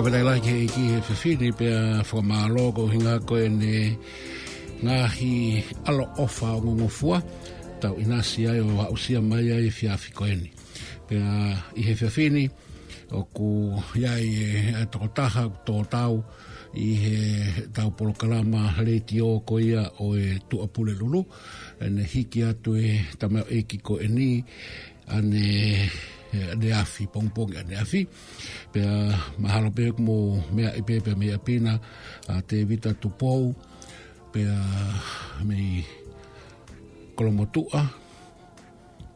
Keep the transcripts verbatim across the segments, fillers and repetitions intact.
Fakafetaʻi lahi ki he ʻEiki he efiafi ni pea fakamālō ko e ʻuhinga ko ʻene ngaahi ʻaloʻofa ongongofua, tau ʻinasi ai ʻo aʻusia mai ai e efiafi ko eni. Pea ʻi he efiafi ni, ʻoku ʻi ai e, e tokotaha ʻoku tō tau ʻi heʻetau polokalama letiō ko ia ʻo e Tuʻapulelulu, ʻene hiki atu e tamaioʻeiki ko eni, ʻaneafi, pongipongi ʻaneafi. Pea mahalo pē ʻoku mou meaʻi pē pea mei ʻapi na, ʻa Tēvita Tupou, pea mei Kolomotuʻa,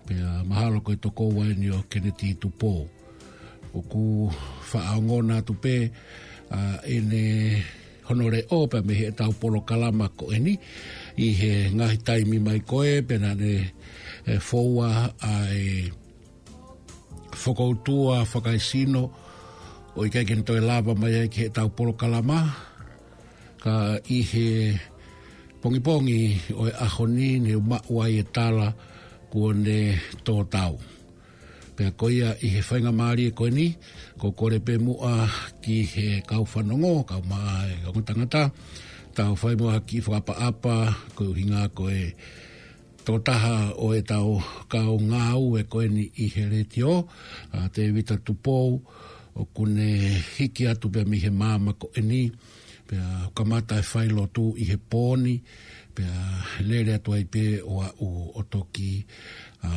pea mahalo ko e tokoua eni ʻo Keneti Tupou. ʻOku faʻa ongona atu pē, ʻa, ʻene hono leʻo pea mei heʻetau polokalama ko eni ʻi he ngaahi taimi mai ko ē, pea naʻa ne, e, foua ʻa e fokoutua fakaesino ʻo ʻikai ke ne toe lava mai ai ki heʻetau polokalama. Ka ʻi he pongipongi ʻo e ʻaho ni ne u maʻu ai e tala kuo ne tō tau. Pea ko ia ʻi he faingamālie ko eni, ʻoku ou kole pē muʻa ki he kau fanongo, kau mai ongo tangata, tau fai muʻa ha kiʻi fakaʻapaʻapa, ko e ʻuhinga ko e tokotaha ʻo ʻetau kau ngāue ko eni ʻi he letiō, ʻa Tēvita Tupou, ʻoku ne hiki atu pē mei he māmani ko eni, pea kamata e failotu ʻi he pō ni, pea lele atu ai pē ʻo aʻu ʻo toki, ʻa,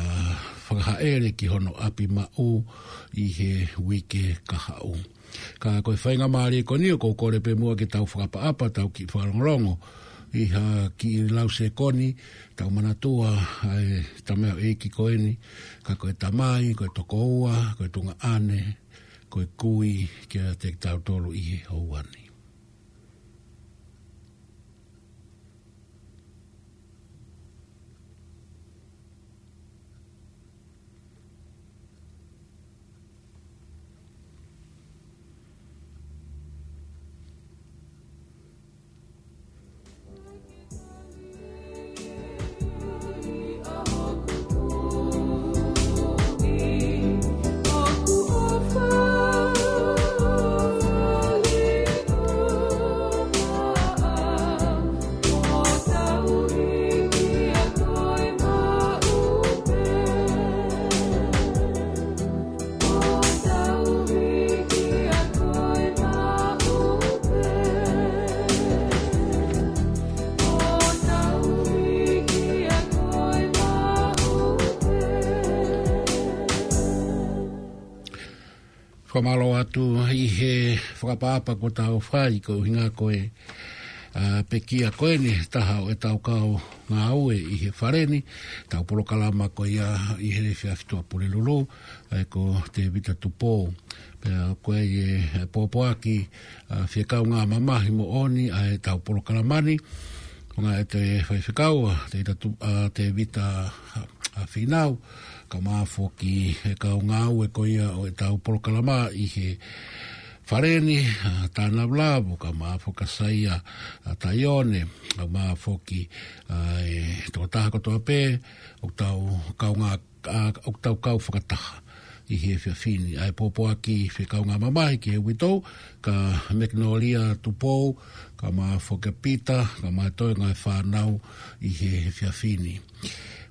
fakahaʻele ki hono ʻapi maʻu ʻi he uike kahaʻu. Ka ko e faingamālie ko eni ʻoku ou kole pē muʻa ke tau fakaʻapaʻapa, tau kiʻi fakalongolongo ʻi ha kiʻi lau sekoni, tau manatua ʻa e tamaioʻeiki ko eni, ka ko e tamai, ko e tokoua, ko e tuongaʻane, ko e kui kiate kitautolu ʻi he houa ni. Fakamālō atu ʻi he fakaʻapaʻapa kuo tau fai, ko e ʻuhinga ko e, ʻa, pekia ko eni, taha ʻo ʻetau kau ngāue ʻi he fale ni, tau polokalama ko ia ʻi he efiafi Tuʻapulelulu, ʻa ia ko Tēvita Tupou. Pea ko e, e pōpoaki, ʻa, fie kaungā mamahi moʻoni ʻa ʻetau polokalama ni, ko e ngaahi ʻa e faifekau, ʻa Tēvita Tu-, ʻa Tēvita, ʻa, ʻa Fīnau, kae ʻumaʻā foki e kau ngāue ko ia ʻo ʻetau polokalama ʻi he fale ni, ʻa Tānavulavu, kae ʻumaʻā foki ʻa Saia, ʻa Taione, kae ʻumaʻā foki, ʻa, e tokotaha kotoa pē ʻoku tau kaungā, ʻa, ʻoku tau kau fakataha ʻi he efiafi ni. ʻA e pōpoaki fie kaungā mamahi ki he uitou, kia Mekinolia Tupou, kae ʻumaʻā foki ʻa Pita, kae ʻumaʻā e toenga e fānau ʻi he efiafi ni.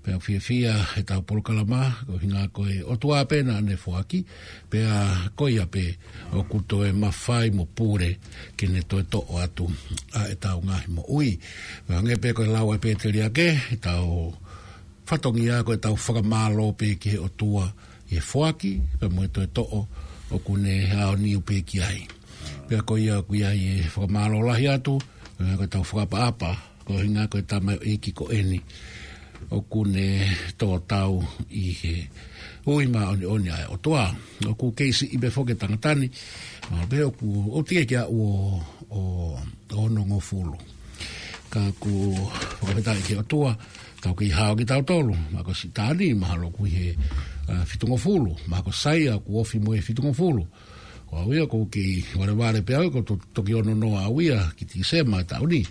Pea fiefia ʻetau polokalama, ko e ʻuhinga ko e ʻOtua pē naʻa ne foaki, pea ko ia pē ʻoku toe mafai mo pule ke ne toe toʻo atu ʻa ʻetau ngaahi moʻui. Pea hangē pē ko e lau ʻa e pēteliake, ʻetau fatongia ko ʻetau fakamālō pē ki he ʻOtua ʻi he foaki, pea mo e toe toʻo ʻoku ne aoniu pē ki ai. Pea ko ia ʻoku ʻi ai e fakamālō lahi atu, ʻa, ko ʻetau fakaʻapaʻapa, ko e ʻuhinga ko e tamaioʻeiki ko eni ʻoku ne tō tau ʻi he ui māʻoniʻoni ʻa e ʻOtua. ʻOku kei siʻi pē foki e tangata ni, mahalo pē ʻoku, ʻoku teʻeki ke aʻu ʻo, ʻo, ʻo onongofulu. Ka ʻoku fakafetaʻi ki he ʻOtua, tau kei hao kitautolu, mahalo ko Sitani, mahalo ʻoku ʻi he, ʻa, fitungofulu, mahalo ko Saia ʻoku ofi mo e fitungofulu. Ko au ia ʻoku ou kei valevale pē au ia, ʻoku to-, toki ono noa au ia ki Tīsema taʻu ni.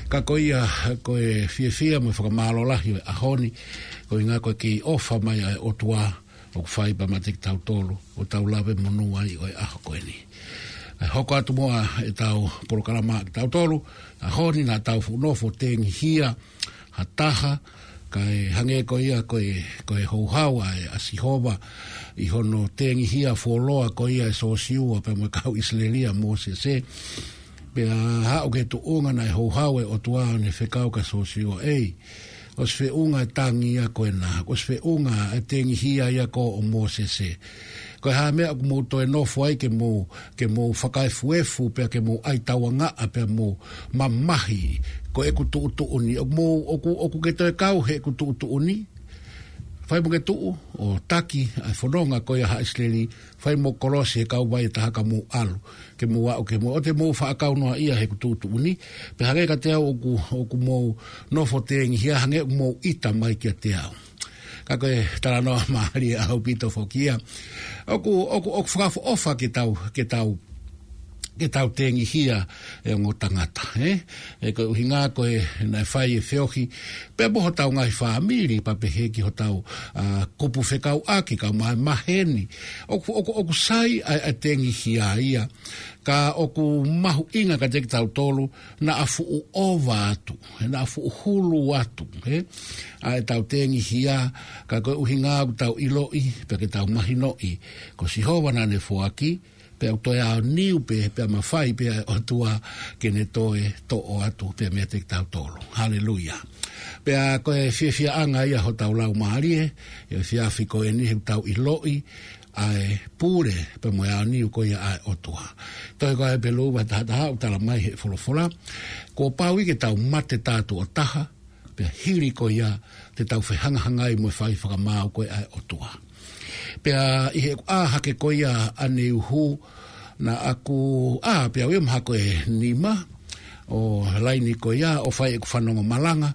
Ka ko ia, ko e fiefia mo e fakamālō lahi ʻo e ʻaho ni, ko e ʻuhinga ko e kei ʻofa mai ʻa e ʻOtua ʻoku fai pē meiate kitautolu, ʻo tau lave monū ai ʻo e ʻaho ko eni. ʻE hoko atu muʻa ʻetau polokalama kitautolu, ʻa ʻaho ni naʻa tau fuʻu nofo tengihia ha taha, kae hangē ko ia ko e, ko e houhau ʻa e, ʻa Sihova, ʻi hono tengihia fuoloa ko ia ʻe Siosiua pea mo e kau ʻIsileli ʻa Mōsese. Pea haʻu ki he tuʻunga naʻe houhau e ʻOtua ʻo ne fekau kia Siosiua, ʻEi, ʻosi feʻunga e tangi ia ko ena, ʻosi feʻunga e tengihia ia ko ē ʻo Mōsese. Ko e hā e meʻa ʻoku mou toe nofo ai ke mou, ke mou fakaefuefu, pea ke mou ʻai tauangaʻa, pea mou mamahi, ko ʻeku tuʻutuʻuni? ʻOku mou, ʻoku, ʻoku ke toe kau heʻeku tuʻutuʻuni? Fai mo ke tuʻu ʻo taki ʻa e fononga ko ia ʻa haʻa ʻIsileli, fai mo kolosi he kauvai ʻe taha ka mou ʻalu, ke mou aʻu ke mou, ʻoua te mou faʻa kau noa ia heʻeku tuʻutuʻuni. Pea hangē kiate au ʻoku, ʻoku mou nofo tengihia, hangē ʻoku mou ʻita mai kiate au. Ka ko e talanoa mālie ʻaupito foki ia. ʻOku, ʻoku, ʻoku fakaʻofoʻofa ke tau, ke tau, ke tau tengihia e ongo tangata, ē? ʻE ko e ʻuhinga ko e naʻe fai e feohi pea mo hotau ngaahi fāmili, pea pehē ki hotau, ʻa, kupu fekauʻaki, kau mai maheni. ʻOku, ʻoku, ʻoku sai ʻa e, ʻa e tengihia ia. Ka ʻoku mahuʻinga kiate kitautolu naʻa fuʻu ʻova atu, ē, naʻa fuʻu hulu atu, ē, ʻa ʻetau tengihia. Ka ko e ʻuhinga ʻoku tau ʻiloʻi, pea ke tau mahinoʻi, ko Sihova naʻa ne foaki, pea ʻoku toe aoniu pē, pea mafai pē ʻa e ʻOtua ke ne toe toʻo atu pē meiate kitautolu. Haleluia. Pea ko e fiefiaʻanga ia hotau laumālie ʻi he efiafi ko eni, he ʻoku tau ʻiloʻi ʻa e pule pea mo e aoniu ko ia ʻa e ʻOtua. Tohi ko ia ʻa Hepelū vahe taha taha ʻoku tala mai ʻe he folofola, kuo pau ia ke tau mate tātuʻo taha, pea hili ko ia te tau fehangahangai mo e fai fakamaau ko ia ʻa e ʻOtua. Pea ʻi heʻeku ʻā hake ko ia ʻaneuhu, naʻa ku ʻā pē au ia mahalo ko e nima ʻo laini ko ia ʻo fai ʻeku fanongo malanga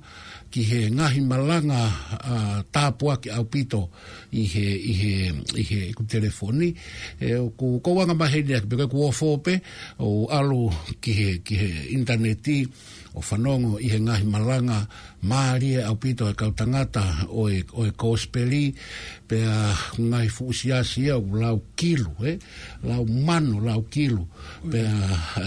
ki he ngaahi malanga, ʻa, tāpuaki ʻaupito ʻi he, ʻi he, ʻi heʻeku telefoni. ʻE, ʻoku, ʻoku ou anga maheni ʻaki pē, ko ʻeku ofo pē ʻo ʻalu ki he, ki he ʻinitaneti ʻo fanongo ʻi he ngaahi malanga mālie ʻaupito ʻa e kau tangata ʻo e, ʻo e kosipeli, pea ngaahi fuʻu siasi ia ʻoku lau kilu, ē? Lau mano, lau kilu, pea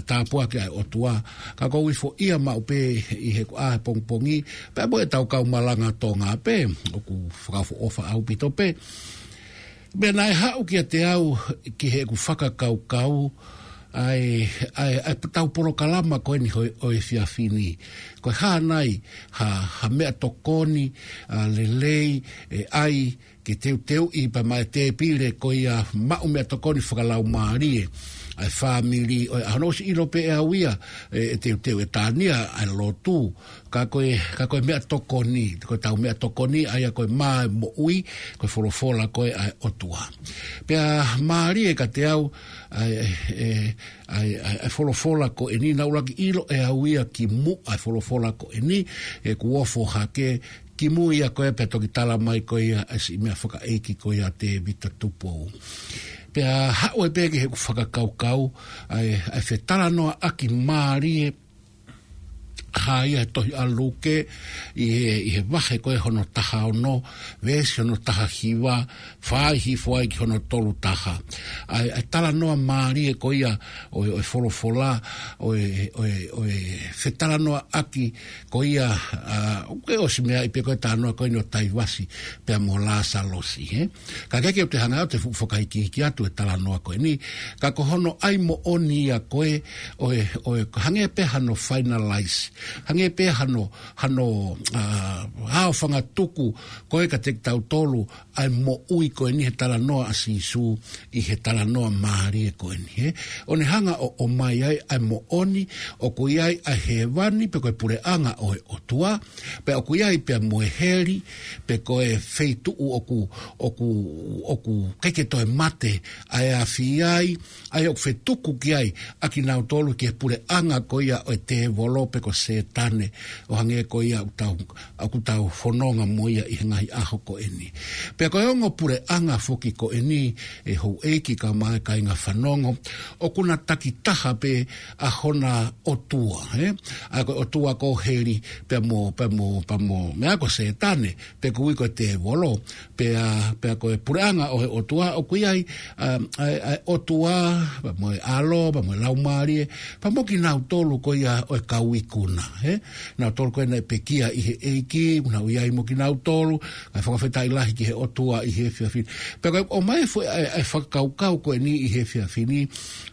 tāpuaki ʻa e ʻOtua. Ka ʻoku ou ifoʻia maʻu pē ʻi heʻeku ʻā he pongipongi, pea mo ʻetau kau malanga Tonga pē, ʻoku fakaʻofoʻofa ʻaupito pē. Pea naʻe haʻu kiate au ki heʻeku fakakaukau ʻa e, ʻa e, ʻa e tau polokalama ko eni ʻo e, ʻo e efiafi ni. Ko e hā nai ha, ha meʻatokoni, ʻa, lelei ʻe ʻai ke teuteuʻi pea maʻa e tēpile ko ia maʻu meʻatokoni fakalaumālie ʻa e fāmili ʻo e ʻaho ni? ʻOsi ʻilo pē ʻe au ia ʻe, ʻe teuteu ʻe Tania ʻa e lotu. Ka ko e, ka ko e meʻatokoni, ko ʻetau meʻatokoni ʻa ia ko e mā e moʻui, ko e folofola ko ia ʻa e ʻOtua. Pea mālie kiate au ʻa e, ʻa e, ʻa e, ʻa e, ʻa e folofola ko eni, naʻa ku ʻuluaki ʻilo ʻe au ia kimuʻa ʻa e folofola ko eni, ʻeku ofo hake, kimui ia ko ia pea toki tala mai ko ia ʻa e siʻi meʻa fakaʻeiki ko ia ʻa Tēvita Tupou. Pea haʻu ai pē ki heʻeku fakakaukau ʻa e, ʻa e fetalanoaʻaki mālie ʻa ia he tohi ʻa Luke, ʻi he, ʻi he vahe ko ia hono taha ono, veesi hono taha hiva, fai hifo ai ki hono tolu taha. ʻA e, ʻa e talanoa mālie ko ia ʻo e, ʻo e folofola, ʻo e, ʻo e, ʻo e fetalanoaʻaki ko ia, ʻa, ʻoku ke ʻosi meaʻi pē ko e talanoa ko eni ʻo Taivasi pea mo Lāsalosi, ē? Ka ʻoku ʻikai ke u toe hanga ʻo toe fuʻu fakahikihiki atu e talanoa ko eni, ka ko hono ʻai moʻoni ia ko ē ʻo e, ʻo e, hangē pē hano finalize, hangē pē hano, hano, ʻa, hao fangatuku ko ē kiate kitautolu ʻa e moʻui ko eni he talanoa ʻa Sīsū ʻi he talanoa mālie ko eni, ē? ʻO ne hanga ʻo, ʻomai ai ʻa e moʻoni ʻoku ʻi ai ʻa hēvani pe ko e puleʻanga ʻo e ʻOtua, pea ʻoku ʻi ai pea mo e heli, pe ko e feituʻu ʻoku, ʻoku, ʻoku ʻikai ke toe mate ʻa e afi ai, ʻa ia ʻoku fetuku ki ai ʻa kinautolu ki he puleʻanga ko ia ʻo e tēvolo pe ko Sētane, ʻo hangē ko ia ʻoku tau, ʻoku tau fononga mo ia ʻi he ngaahi ʻaho ko eni. Pea ko e ongo puleʻanga foki ko eni, ʻe houʻeiki kae ʻumaʻā e kāinga fanongo, ʻoku na takitaha pē ʻa hona ʻotua, ē? ʻA ia ko e ʻotua ko heli, pea mo, pea mo, pea mo, meʻa ko Sētane, pe ko e ui ko e tēvolo, pea, pea ko e puleʻanga ʻo e ʻOtua, ʻoku ʻi ai, ʻa, ʻa, ʻa e ʻOtua, pea mo e ʻAlo, pea mo e Laumālie, pea mo kinautolu ko ia ʻo e kau ikuna, ē? Nautolu ko ē naʻe pekia ʻi he ʻEiki, naʻa nau ʻi ai mo kinautolu, kae fakafetaʻi lahi ki he ʻOtua ʻi he efiafi ni. Pea ko e ʻomai foʻi ʻa e, ʻa e fakakaukau ko eni ʻi he efiafi ni,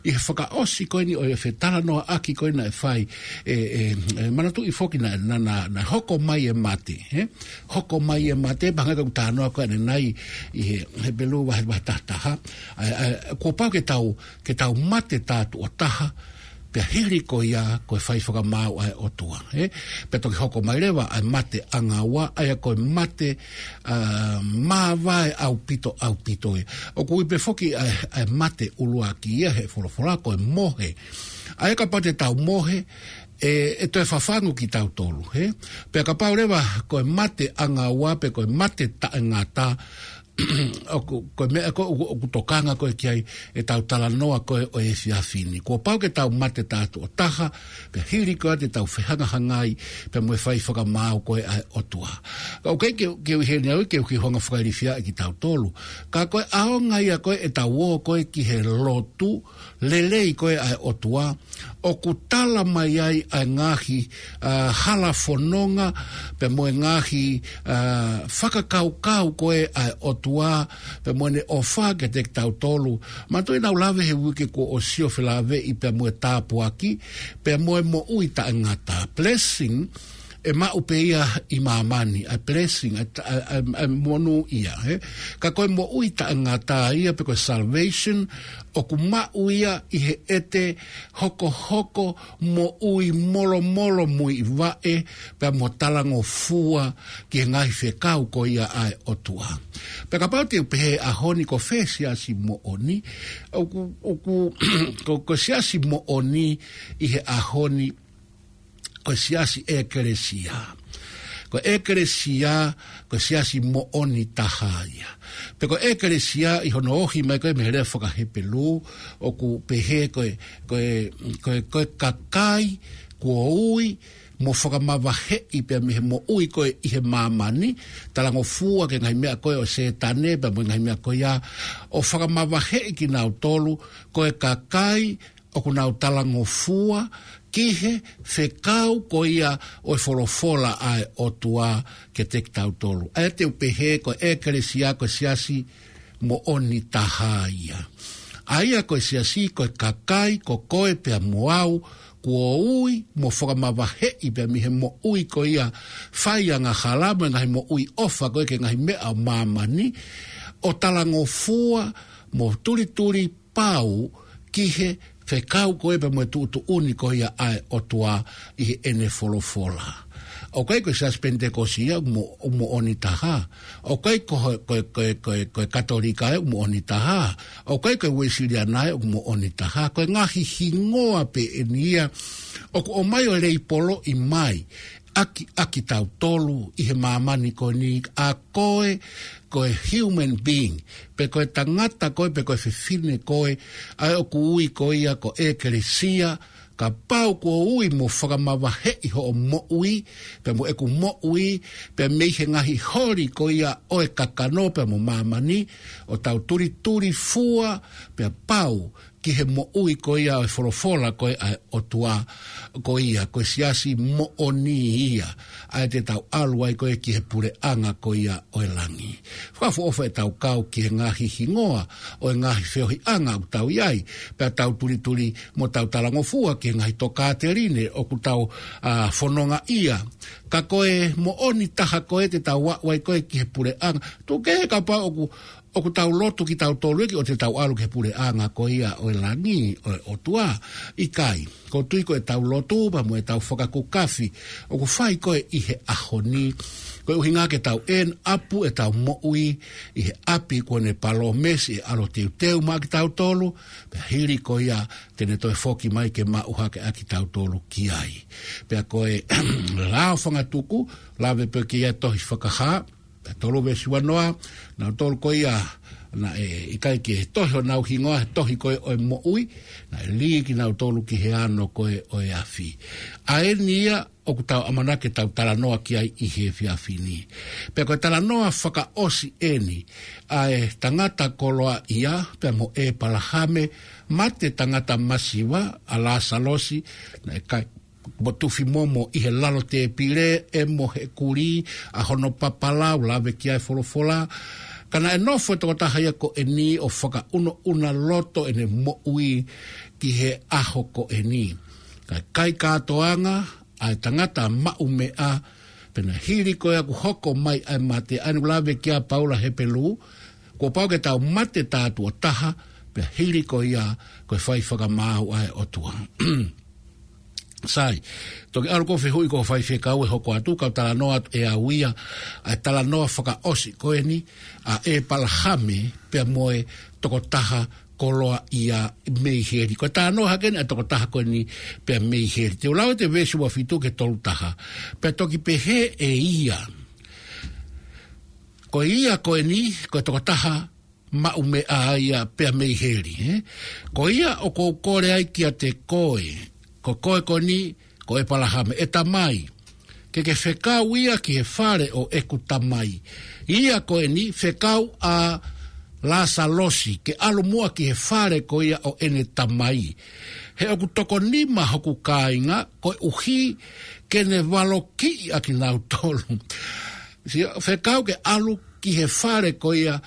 ʻi he fakaʻosi ko eni ʻo e fetalanoaʻaki ko ē naʻe fai, ʻe, ʻe, ʻe manatuʻi foki naʻe, naʻa, naʻa, naʻe hoko mai e mate, ē? Hoko mai e mate, pea hangē ko ʻeku talanoa ko ē ʻanenai ʻi he, Hepelū vahe, vahe taha taha. ʻA ia, ʻa ia, kuo pau ke tau, ke tau mate tātuʻo taha, pea hili ko ia ko e fai fakamaau ʻa e ʻOtua, ē? Pea toki hoko mai leva ʻa e mate ʻanga ua, ʻa ia ko e mate, ʻa, māvae ʻaupito, ʻaupito ia. ʻOku ui pē foki ʻa e, ʻa e mate ʻuluaki ia he folofola ko e mohe. ʻA ia kapau te tau mohe, ʻe, ʻe toe fafangu kitautolu, ē? Pea kapau leva ko e mate ʻanga ua pe ko e mate taʻengata, ʻoku, ko e meʻa ko ē ʻoku, ʻoku tokanga ko ē ki ai ʻetau talanoa ko ē ʻo e efiafi ni. Kuo pau ke tau mate tātuʻo taha, pea hili ko ia te tau fehangahangai pea mo e fai fakamaau ko ē ʻa e ʻOtua. Ka ʻoku ʻikai ke, ke u ʻi heni au ke u kiʻi hanga ʻo fakailifiaʻi kitautolu. Ka ko e ʻaonga ia ko ē ʻetau ō ko ē ki he lotu lelei ko ē ʻa e ʻOtua, ʻoku tala mai ai ʻa e ngaahi, ʻa, hala fononga, pea mo e ngaahi, ʻa, fakakaukau ko ē ʻa e ʻOtua, pea mo ʻene ʻofa kiate kitautolu. Manatuʻi naʻa ku lave he uike kuo ʻosi ʻo felāveʻi pea mo e tāpuaki, pea mo e moʻui taʻengata. Blessing, ʻe maʻu pē ia ʻi māmani, ʻa e blessing, ʻa e, ʻa e, ʻa e, ʻa e monūʻia, ē? Ka ko e moʻui taʻengata ia pe ko e salvation, ʻoku maʻu ia ʻi he ʻete hokohoko moʻui molomolo muivaʻe, pea mo talangofua ki he ngaahi fekau ko ia ʻa e ʻOtua. Pea kapau te u pehē he ʻaho ni ko fē siasi moʻoni, ʻoku, ʻoku, ko, ko e siasi moʻoni ʻi he ʻaho ni, ko e siasi ʻekelesia. Ko e ʻekelesia, ko e siasi moʻoni taha ia. Pea ko e ʻekelesia ʻi hono ohi mai ko ē mei he lea faka-Hepelū, ʻoku pehē ko e, ko e, ko e, ko e kakai kuo ui mo fakamavaheʻi pea mei he moʻui ko ē ʻi he māmani, talangofua ki he ngaahi meʻa ko ē ʻo Sētane pea mo e ngaahi meʻa ko ia, ʻo fakamavaheʻi kinautolu ko e kakai ʻoku nau talangofua ki he fekau ko ia ʻo e folofola ʻa e ʻOtua kiate kitautolu. ʻA ia te u pehē ko e ʻekelesia ko e siasi moʻoni taha ia. ʻA ia ko e siasi ko e kakai ko koe pea mo au kuo ui mo fakamavaheʻi pea mei he moʻui ko ia fai angahala mo e ngaahi moʻui ʻofa ko ē ki he ngaahi meʻa ʻo māmani, ʻo talangofua mo tulituli pau ki he fekau ko ē pea mo e tuʻutuʻuni ko ia ʻa e ʻOtua ʻi heʻene folofola. ʻOku ʻikai ko e siasi Penitekosi ia ʻoku mo-, ʻoku moʻoni taha. ʻOku ʻikai ko e, ko e, ko e, ko e, ko e Katolika ia ʻoku moʻoni taha. ʻOku ʻikai ko e Uēsiliana ia ʻoku moʻoni taha. Ko e ngaahi hingoa pē eni ia ʻoku ʻomai ʻo leipoloʻi mai ʻaki, ʻaki kitautolu ʻi he māmani ko eni, ʻa koe ko e human being, pe ko e tangata koe, pe ko e fefine koe, ʻa ē ʻoku ui ko ia ko e ʻekelesia, kapau kuo ui mo fakamavaheʻi hoʻo moʻui, pea mo ʻeku moʻui, pea mei he ngaahi holi ko ia ʻo e kakano pea mo māmani, ʻo tau tulituli fua, pea pau ki he moʻui ko ia ʻo e folofola ko ē ʻa e ʻOtua, ko ia, ko e siasi moʻoni ia, ʻa ē te tau ʻalu ai ko ē ki he puleʻanga ko ia ʻo e langi. Fakaʻofoʻofa ʻetau kau ki he ngaahi hingoa ʻo e ngaahi feohiʻanga ʻoku tau ʻi ai, pea tau tulituli mo tau talangofua ki he ngaahi tokāteline ʻoku tau, ʻa, fononga ia, Ka ko e moʻoni taha ko ē te tau aʻu ai ko ē ki he puleʻanga. Tuku kehe kapau ʻoku, ʻoku tau lotu kitautolu ʻEiki ʻo te tau ʻalu ki he puleʻanga ko ia ʻo e langi ʻo e ʻOtua. ʻIkai, ʻoku ou tui ko ʻetau lotu pea mo ʻetau fakakukafi ʻoku fai ko ē ʻi he ʻaho ni, ko e ʻuhinga ke tau ʻenau ʻapu ʻetau moʻui ʻi he ʻapi kuo ne palōmesi ʻe ʻAlo Teuteu maʻa kitautolu, pea hili ko ia te ne toe foki mai ke maʻu hake ʻa kitautolu ki ai. Pea ko e lao fangatuku, lave pē ki he tohi Fakahā, pea tolu veesi uanoa, naʻa tolu ko ia, naʻe ʻikai ke tohi honau hingoa, he tohi ko ē ʻo e moʻui, naʻe lī kinautolu ki he ano ko ē ʻo e afi. ʻA eni ia ʻoku tau ʻamanaki ke tau talanoa ki ai ʻi he efiafi ni. Pea ko e talanoa fakaʻosi eni, ʻa e tangata koloaʻia, pea mo ʻEpalahame, mate tangata masiva, ʻa Lāsalosi, naʻe kai mo tufi momo ʻi he lalo tēpile, ʻe mo he kulī, ʻa hono papalau, lave ki ai e folofola. Ka naʻe nofo e tokotaha ia ko eni ʻo fakaʻunaʻuna loto ʻene moʻui ki he ʻaho ko eni. Ka kai kātoanga, ʻa e tangata maʻumeʻa, pea naʻe hili ko ia ʻoku hoko mai ʻa e mate, ʻa eni ʻoku lave ki ai ʻa Paula Hepelū, kuo pau ke tau mate tātuʻo taha, pea hili ko ia ko e fai fakamaau ʻa e ʻOtua. Sai, toki ʻalu ʻo fehuʻi ko e fai fekau ʻe hoko atu, kau talanoa atu ʻe au ia, ʻa e talanoa fakaʻosi ko eni, ʻa ʻEpalahame, pea mo e tokotaha koloaʻia mei heli. Ko e talanoa hake eni ʻa e tokotaha ko eni pea mei heli. Te u lau ʻa e veesi ua fitu ki he tolu taha. Pea toki pehē ʻe ia, ko ia ko eni, ko e tokotaha maʻumeʻa ia pea mei heli, ē? Ko ia ʻoku ou kole ai kiate koe, ko koe ko eni, ko ʻEpalahame, ʻe tamai, ke ke fekau ia ki he fale ʻo ʻeku tamai. Ia ko eni, fekau ʻa Lāsalosi ke ʻalu muʻa ki he fale ko ia ʻo ʻene tamai. He ʻoku toko nima hoku kāinga, koeʻuhi ke ne valokiʻi ʻa kinautolu. Sio, fekau ke ʻalu ki he fale ko ia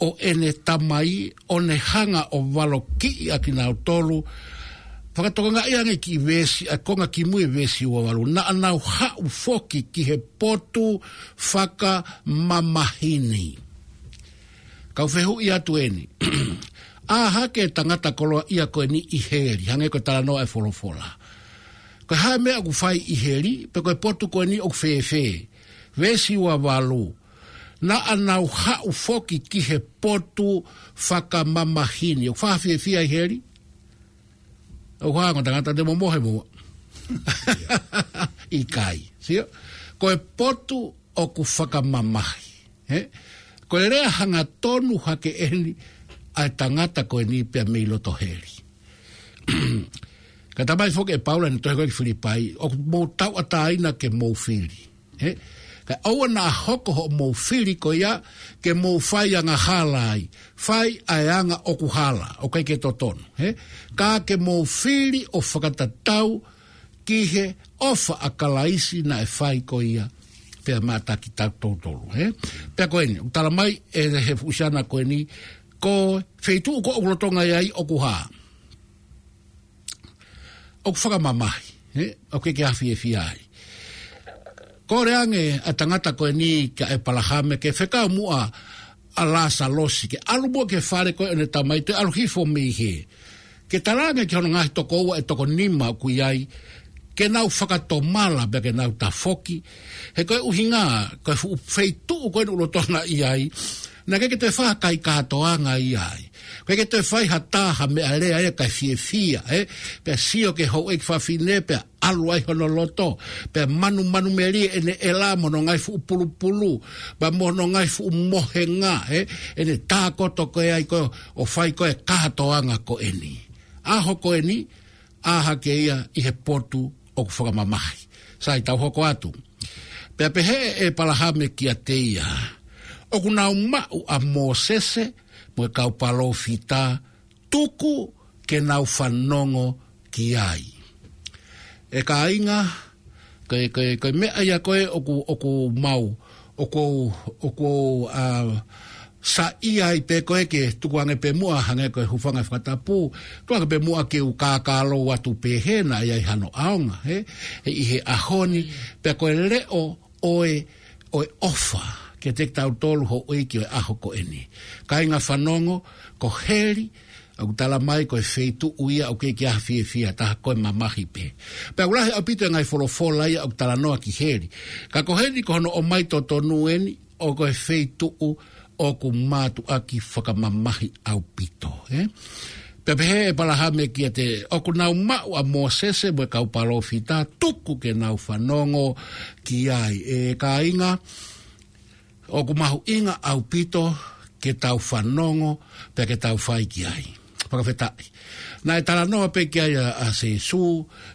ʻo ʻene tamai, ʻo ne hanga ʻo valokiʻi ʻa kinautolu. Fakatokangaʻi ange ki he veesi, ʻa e konga kimui e veesi ua valu. Naʻa nau haʻu foki ki he potu fakamamahi ni. Kau fehuʻi atu eni. ʻĀ hake e tangata koloaʻia ko eni ʻi heli, hangē ko e talanoa e folofola. Ko e hā e meʻa ʻoku fai ʻi heli, pe ko e potu ko eni ʻoku fēfē. Veesi ua valu. Naʻa nau haʻu foki ki he potu fakamamahi ni. ʻOku fakafiefia ʻi heli? ʻOku hanga ʻo tangata te momohe mo. ʻIkai. Sio? Ko e potu ʻoku fakamamahi. He? Ko e lea hangatonu hake eni ʻa e tangata ko eni pea mei loto heli. Ka tamai foki ʻe Paula ʻi he tohi ko ē ki Filipai, ʻoku mou tauʻatāina ke mou fili. He? Ka ʻoua naʻa hoko hoʻomou fili ko ia ke mou fai angahala ai, fai ʻa e anga ʻoku hala, ʻoku ʻikai ke totonu. He? Ka ke mou fili ʻo fakatatau ki he ʻofa ʻa Kalaisi naʻe fai ko ia pea maʻa kitautolu, he? Pea ko eni, ʻoku tala mai ʻe he fuʻu siana ko eni, ko e feituʻu ko ē ʻoku lolotonga ʻi ai ʻoku hā? ʻOku fakamamahi, he? ʻOku ʻikai ke fiefia ai. Kole ange ʻa e tangata ko eni kia ʻEpalahame ke fekau muʻa ʻa Lāsalosi, ke ʻalu muʻa ki he fale ko ē ʻo ʻene tamai, toe ʻalu hifo mei hē. Ke talaange ki hono ngaahi tokoua ʻe toko nima ʻoku ʻi ai, ke nau fakatomala pea ke nau tafoki. He ko e ʻuhinga, ko e fuʻu feituʻu ko ē ʻoku lolotonga ʻi ai, naʻe ʻikai ke toe fai ha kai kātoanga ʻi ai. ʻIkai ke toe fai ha tā ha meʻalea ia kae fiefia, ē? Pea sio ki he houʻeiki fafine, pea ʻalu ai hono loto, pea manumanumelie ʻene ʻela mo hono ngaahi fuʻu pulupulu, pea mo hono ngaahi fuʻu mohenga, ē? ʻEne tākoto ko ē ai ko ē ʻo fai ko ē kātoanga ko eni. ʻAho ko eni, ʻā hake ia ʻi he potu ʻoku fakamamahi. Sai, tau hoko atu. Pea pehē ʻe ʻEpalahame kiate ia, ʻoku nau maʻu ʻa Mōsese mo e kau palōfita, tuku ke nau fanongo ki ai. ʻE kāinga, ko e, ko e, ko e meʻa ia ko ē ʻoku, ʻoku mau, ʻoku, ʻoku, ʻa, Saiʻia ai pē ko ē ke tukuange pē muʻa hangē ko e hūfanga he fakatapu, tukuange pē muʻa ke u kākālou atu pē he naʻe ʻi ai hano ʻaonga, he, he ʻi he ʻaho ni, pea ko e leʻo ʻo e, ʻo e ʻofa, kiate kitautolu houʻeiki ʻo e ʻaho ko eni. Kāinga fanongo, ko heli, ʻoku tala mai ko e feituʻu ia ʻoku ʻikai ke ʻi ai ha fiefia ha taha, ko e mamahi pē. Pea ʻoku lahi ʻaupito e ngaahi folofola ia ʻoku talanoa ki heli. Ka ko heli ko hono ʻomai totonu eni, ʻoku ko e feituʻu ʻoku mātuʻaki fakamamahi ʻaupito, ē? Pea pehē ʻe ʻĒpalahame kiate, ʻoku nau maʻu ʻa Mōsese mo e kau palōfita, tuku ke nau fanongo ki ai. ʻE kāinga, ʻoku mahuʻinga ʻaupito ke tau fanongo, pea ke tau fai ki ai. Fakafetaʻi. Naʻe talanoa pē ki ai ʻa, ʻa Sīsū,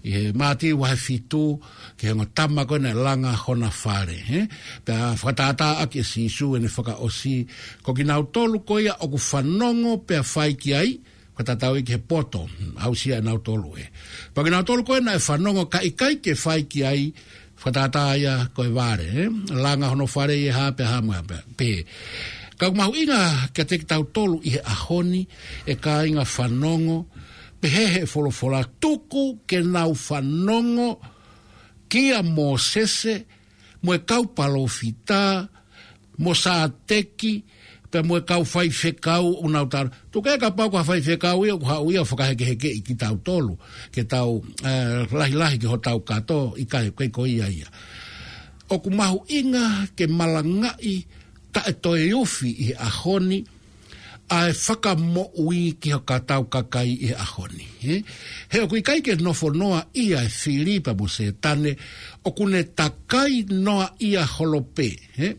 ʻi he Mātiu vahe fitu, ki he ongo tama ko ē naʻe langa hona fale, he? Pea fakatātā ʻaki ʻe Sīsū ʻene fakaʻosi, ko kinautolu ko ia ʻoku fanongo pea fai ki ai, fakatatau ia ki he poto, aʻusia ʻe nautolu ē. Pea kinautolu ko ē naʻe fanongo ka ʻikai ke fai ki ai, fakatātā ia ko e vale, ē? Langa hono fale ʻi he hā pea hā mo e hā pea, pē. Ka ʻoku mahuʻinga kiate kitautolu ʻi he ʻaho ni, ʻe kāinga fanongo, pehē he folofola tuku ke nau fanongo kia Mōsese, mo e kau palōfita, mo Sāteki, pea mo e kau faifekau ʻoku nau tala. Tuku ē kapau ko ha faifekau ia ʻoku haʻu ia ʻo fakahekehekeʻi kitautolu, ke tau, ē, lahilahi ki hotau kato, ʻikai, ʻikai ko ia ia. ʻOku mahuʻinga ke malangaʻi taʻetoeufi ʻi he ʻaho ni, ʻa e fakamoʻui ki hotau kakai ʻi he ʻaho ni, he? He ʻoku ʻikai ke nofo noa ia e fili pea mo Sētane, ʻoku ne takai noa ia holo pē, he?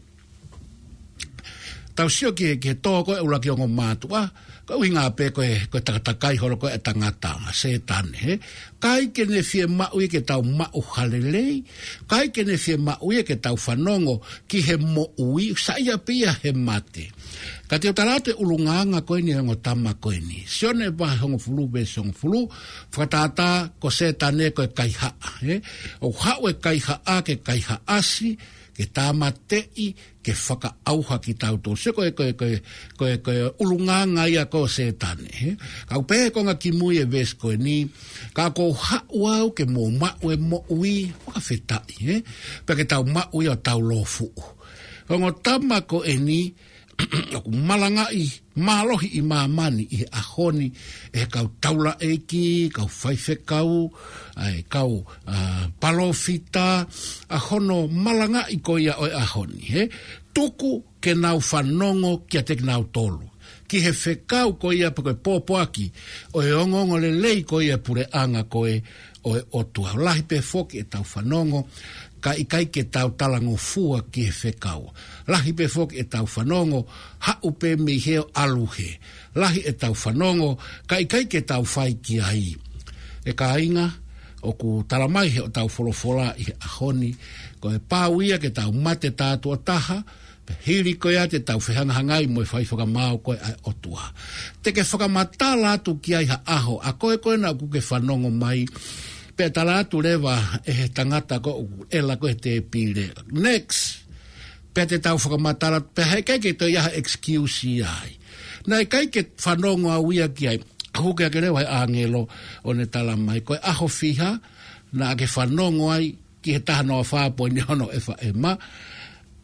Tau sio ki he, ki he tō ko ē ʻuluaki ongo mātuʻa, ko e ʻuhinga pē ko e, ko e takatakai holo ko ē ʻa e tangata, Sētane, he? ʻIkai ke ne fiemaʻu ia ke tau maʻu ha lelei, ʻikai ke ne fiemaʻu ia ke tau fanongo ki he moʻui, saiʻia pē ia he mate. Ka te u tala atu e ʻulungaanga ko eni ʻo e ongo tama ko eni. Sione vahe hongofulu veesi hongofulu, fakatātā ko Sētane ko e kaihaʻa, ē? ʻOku haʻu e kaihaʻa ke kaihaʻasi, ke tāmateʻi, ke fakaʻauha kitautolu. Sio ko e, ko e, ko e, ko e, ko e ʻulungaanga ia ko Sētane, ē? Ka ʻoku pehē he konga kimui e veesi ko eni, ka ʻoku ou haʻu au ke mou maʻu e moʻui, fakafetaʻi, ē? Pea ke tau maʻu ia ʻo tau lōfuʻu. Ongo tama ko eni, ʻoku malangaʻi mālohi ʻi māmani ʻi he ʻaho ni, ʻe he kau taulaʻeiki, kau faifekau, ʻa e kau, ā, palōfita, ʻa hono malangaʻi ko ia ʻo e ʻaho ni, he? Tuku ke nau fanongo kiate kinautolu. Ki he fekau ko ia pe ko e pōpoaki, ʻo e ongoongolelei ko ia e puleʻanga ko ē, ʻo e ʻOtua. Lahi pē foki ʻetau fanongo, ka ʻikai ke tau talangofua ki he fekau. Lahi pē foki ʻetau fanongo, haʻu pē mei hē ʻo ʻalu hē. Lahi ʻetau fanongo, ka ʻikai ke tau fai ki ai. ʻE kāinga, ʻoku tala mai he ʻetau folofola ʻi he ʻaho ni, ko e pau ia ke tau mate tātuʻa taha, pea hili ko ia te tau fehangahangai mo e fai fakamaau ko ē ʻa e ʻOtua. Te ke fakamatala atu ki ai ha ʻaho, ʻa koe ko ē naʻa ʻoku ke fanongo mai, pea tala atu leva ʻe he tangata ko ē ʻoku ʻela ko ē he tēpile. Next. Pea te tau fakamatala, pea heʻikai ke toe ʻi ai ha excuse ia ai. Naʻe ʻikai ke fanongo au ia ki ai. Hū ke ake leva he ʻāngelo ʻo ne tala mai. Ko e ʻaho fiha, naʻa ke fanongo ai, ki he taha noa fā poini ono F M,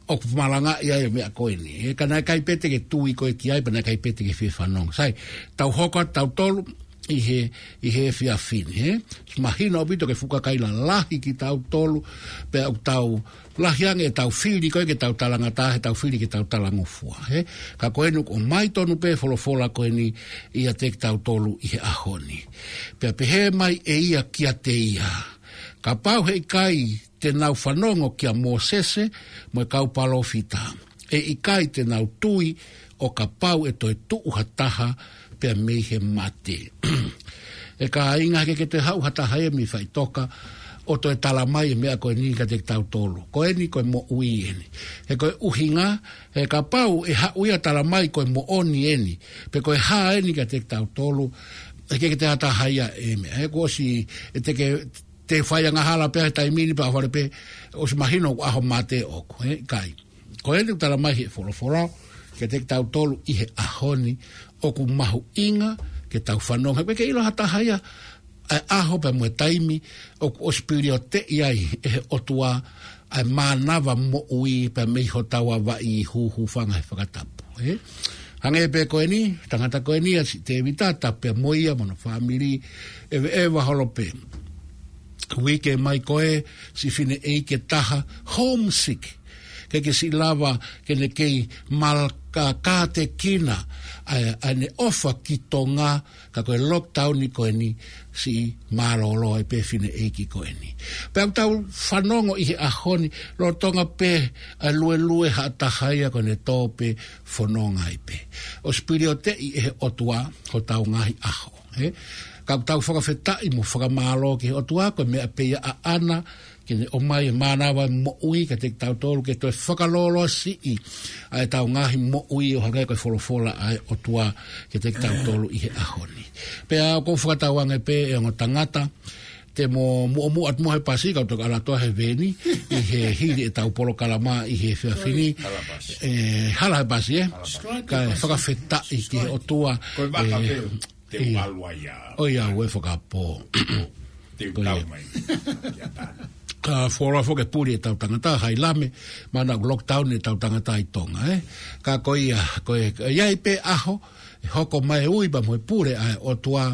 ʻoku malangaʻi ai e meʻa ko eni. He ka naʻe ʻikai pē te ke tui koe ki ai, pea naʻe ʻikai pē te ke fie fanongo. Sai, tau hoko atu tautolu ʻi he, ʻi he efiafi ni, he? Mahino ʻaupito ko e fuʻu kakai lalahi kitautolu, pea ʻoku tau lahi ange ʻetau fili ko ē ke tau talangataʻa, heʻetau fili ke tau talangofua, he? Ka ko eni ʻoku ʻomai tonu pē folofola ko eni ʻiate kitautolu ʻi he ʻaho ni. Pea pehē mai ʻe ia kiate ia. Kapau heʻikai te nau fanongo kia Mōsese mo e kau palōfita, ʻe ʻikai te nau tui ʻo kapau ʻe toe tuʻu ha taha pea mei he mate. ʻE kāinga, heʻikai ke toe haʻu ha taha ia mei faʻitoka ʻo toe tala mai e meʻa ko eni kiate kitautolu. Ko eni ko e moʻui eni. He ko e ʻuhinga, he kapau ʻe haʻu ia tala mai ko e moʻoni eni, pe ko e hā eni kiate kitautolu, heʻikai ke toe ʻi ai ha taha ia e meʻa. He kuo ʻosi, ʻe te ke te fai angahala pē he taimi ni pea ʻohovale pē, ʻosi mahino ʻoku ʻaho mate ʻoku, he, ʻikai. Ko eni ʻoku tala mai he folofola, kiate kitautolu ʻi he ʻaho ni, ʻoku mahuʻinga ke tau fanongo. He ʻoku ʻikai ke ʻilo ha taha ia ʻa e ʻaho pea mo e taimi ʻoku ʻosi pilioteʻi ai ʻe he ʻOtua ʻa e mānava moʻui pea mei hotau avaʻi hūhūfanga he fakatapu, ē? Hangē pē ko eni, tangata ko eni ʻa si Tēvita, tapu pea mo ia mo hono fāmili, ʻeveʻeva holo pē. Uike mai ko ē, si fineʻeiki ʻe taha, homesick. ʻIkai ke siʻi lava ke ne kei malakā kātekina ʻa e, ʻa ʻene ʻofa ki Tonga, ka ko e lockdown ko eni siʻi mālōlō ai pē fineʻeiki ko eni. Pea ʻoku tau fanongo ʻi he ʻaho ni, lolotonga pē ʻa e luelue ha taha ia ko ʻene tō pē fononga ai pē. ʻOsi pilioteʻi ʻe he ʻOtua hotau ngaahi ʻaho, ē? Ka ʻoku tau fakafetaʻi mo fakamālō ki he ʻOtua, ko e meʻa pē ia ʻaʻana ke ne ʻomai e mānava moʻui kiate kitautolu, ke toe fakalōloa siʻi ʻa ʻetau ngaahi moʻui ʻo hangē ko e folofola ʻa e ʻOtua kiate kitautolu ʻi he ʻaho ni. Pea ʻoku ou fakatauange pē ʻe ongo tangata, te mo muʻomuʻa atu mo he pasi, kau toki ʻalu atu he veeni, ʻi he hili ʻetau polokalama ʻi he efiafi ni. Hala pasi. Ē, hala he pasi, ē? Hala pasi. Kae fakafetaʻi ki he ʻOtua, Ko e vaka ē, pē, te ʻia. Ualu ai ia. ʻOiauē, fakapō. Te u Ko ia. Tau mai. Ia tā. Ka fuoloa foki e puli ʻetau tangata, hai lame, mana ʻoku lockdown ʻetau tangata ʻi Tonga, ē? Ka ko ia, ko e, ʻe ʻi ai pē ʻaho, ʻe hoko mai e ui pea mo e pule ʻa e ʻOtua,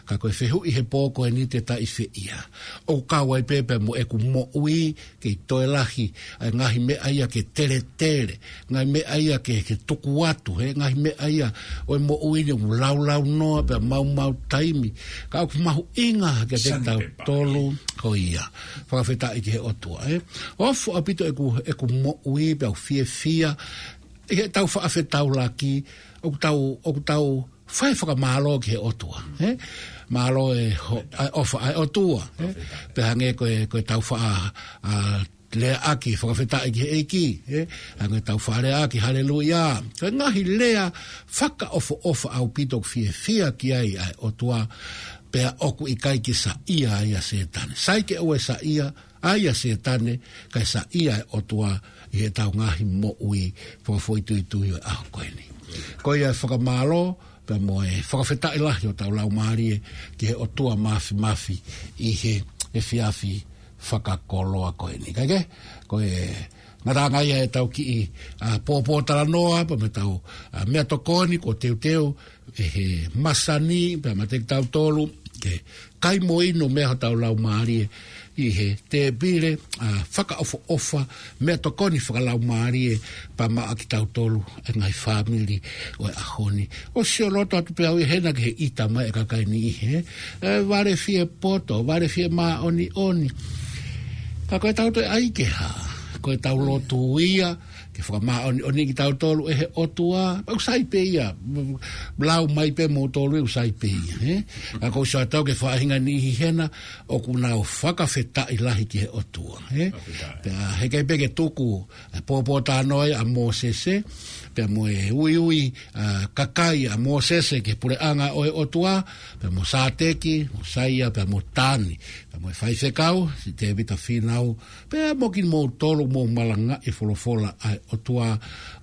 ka ko e fehuʻi he pō ko eni te ta ʻi fē ia. ʻOku kau ai pē pea mo ʻeku moʻui, kei toe lahi ʻa e ngaahi meʻa ia ke teletele, ngaahi meʻa ia ke, ke tuku atu, he ngaahi meʻa ia ʻo e moʻui ni ʻoku laulaunoa pea maumau taimi. Ka ʻoku mahuʻinga kiate kitautolu, ko ia. Fakafetaʻi ki he ʻOtua, ē? ʻOku fuʻu ʻaupito ʻeku, ʻeku moʻui pea ʻoku fiefia ʻi heʻetau faʻa fetaulaki, ʻoku tau, ʻoku tau fai fakamālō ki he ʻOtua, ē? Mālō e ho-, ʻa e ʻofa ʻa e ʻOtua, ē? Pea hangē ko e, ko ʻetau faʻa, ʻa, leaʻaki fakafetaʻi ki he ʻEiki, ē? Hangē ʻetau faʻa leaʻaki, haleluia. Ko e ngaahi lea fakaʻofoʻofa ʻaupito ʻoku fiefia ki ai ʻa e ʻOtua, pea ʻoku ʻikai ke saiʻia ai ʻa Sētane. Sai ke ʻoua ʻe saiʻia ai ʻa Sētane, kae saiʻia e ʻOtua ʻi heʻetau ngaahi moʻui fakafoʻituitui ʻo e ʻaho ko eni. Ko ia e fakamālō, pea mo e fakafetaʻi lahi ʻo hotau laumālie ki he ʻOtua Māfimafi ʻi he efiafi fakakoloa ko eni. Kae kehe, ko e ngataʻanga ia ʻetau kiʻi, ʻa, pōpōtalanoa, pea mo ʻetau, ʻa, meʻatokoni kuo teuteu ʻe he masani, pea meiate kitautolu, ke kai mo inu mei hotau laumālie ʻi he tēpile, ʻa, fakaʻofoʻofa, meʻatokoni fakalaumālie, pea maʻa kitautolu, e ngaahi fāmili ʻo e ʻaho ni. ʻOsi ʻo loto atu pē au ia hena ki he ʻita mai e kakai ni ʻi he, ē, vale fie poto, vale fie māʻoniʻoni. Ka ko ʻetau toe ʻai ke hā, ko ʻetau lotu ia, ke fakamāʻoniʻoni kitautolu ʻe he ʻOtua, ʻoku sai pē ia, lau mai pē moutolu ʻoku sai pē ia, ē? Ka ʻoku ou sio atu au ki he faʻahinga niʻihi hena, ʻoku nau fakafetaʻi lahi ki he ʻOtua, ē? Fakafetaʻi. Pea heʻikai pē ke tuku, ʻa e pōpōtalanoa ia ʻa Mōsese, pea mo e uiui, ʻa, kakai ʻa Mōsese ki he puleʻanga ʻo e ʻOtua, pea mo Sāteki, Mōsaia, pea mo Tani, pea mo e faifekau, si Tēvita Fīnau, pea mo kimoutolu ʻoku mou malangaʻi e folofola ʻa e ʻOtua,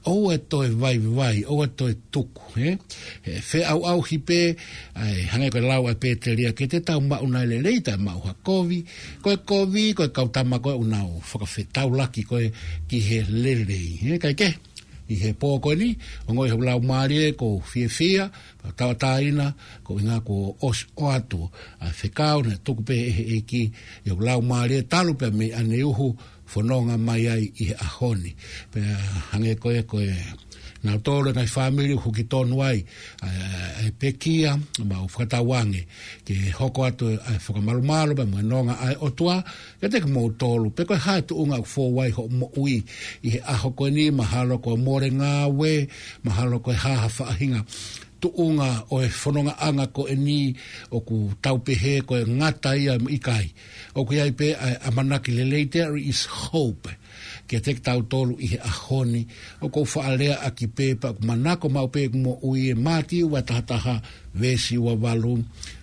ʻoua ʻe toe vaivai, ʻoua ʻe toe tuku, ē? ʻE feʻauʻauhi pē, ʻa e hangē ko e lau ʻa Pēteli ʻa ke te tau maʻu nai lelei taʻe maʻu ha kovi, ko e kovi, ko e kau tama ko ē ʻoku nau fakafetaulaki ko ē ki he lelei, ē? Kae kehe, ʻi he pō ko eni, ongoʻi hoku laumālie ʻoku ou fiefia, pea tauʻatāina, koeʻuhinga kuo ʻosi ʻoatu ʻa e fekau naʻe tuku pē ʻe he ʻEiki ʻi hoku laumālie talu pē mei ʻaneuhu fononga mai ai ʻi he ʻaho ni. Pea hangē ko ē ko e nautolu e ngaahi fāmili ʻoku huki tonu ai, ʻa e, ʻa e pekia, mau fakatauange ke hoko atu ʻa e fakamalumalu pea mo e nonga ʻa e ʻOtua kiate kimoutolu, pe ko e hā e tuʻunga ʻoku fou ai hoʻo moʻui ʻi he ʻaho ko eni, mahalo kuo mole ngāue, mahalo ko e hā ha faʻahinga tuʻunga ʻo e fonongaʻanga ko eni, ʻoku tau pehē ko e ngata ia mo ʻikai. ʻOku ʻi ai pē ʻa e ʻamanaki lelei, there is hope kiate kitautolu ʻi he ʻaho ni. ʻOku ou faʻa leaʻaki pē pea ʻoku manako maʻu pē ʻeku moʻui, ʻe Mātiu ua taha taha veesi ua valu.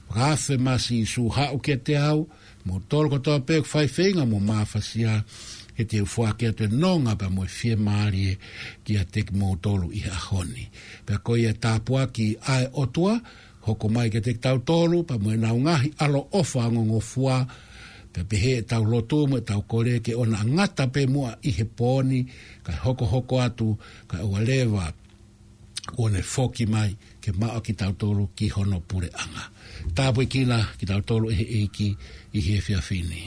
Fakaafe mai ʻa Sīsū, haʻu kiate au, moutolu kotoa pē ʻoku fai feinga mo mafasia, ke te u foaki atu e nonga pea mo e fiemālie kiate kimoutolu ʻi he ʻaho ni. Pea ko ia e tāpuaki ʻa e ʻOtua, hoko mai kiate kitautolu, pea mo ʻenau ngaahi ʻaloʻofa ongongofua, pea pehē ʻetau lotu mo ʻetau kole ke ʻoua naʻa ngata pē muʻa ʻi he pō ni, kae hokohoko atu, kae ʻoua leva kuo ne foki mai ke maʻu kitautolu ki hono puleʻanga. Tāpuekina kitautolu ʻe he ʻEiki ʻi he efiafi ni.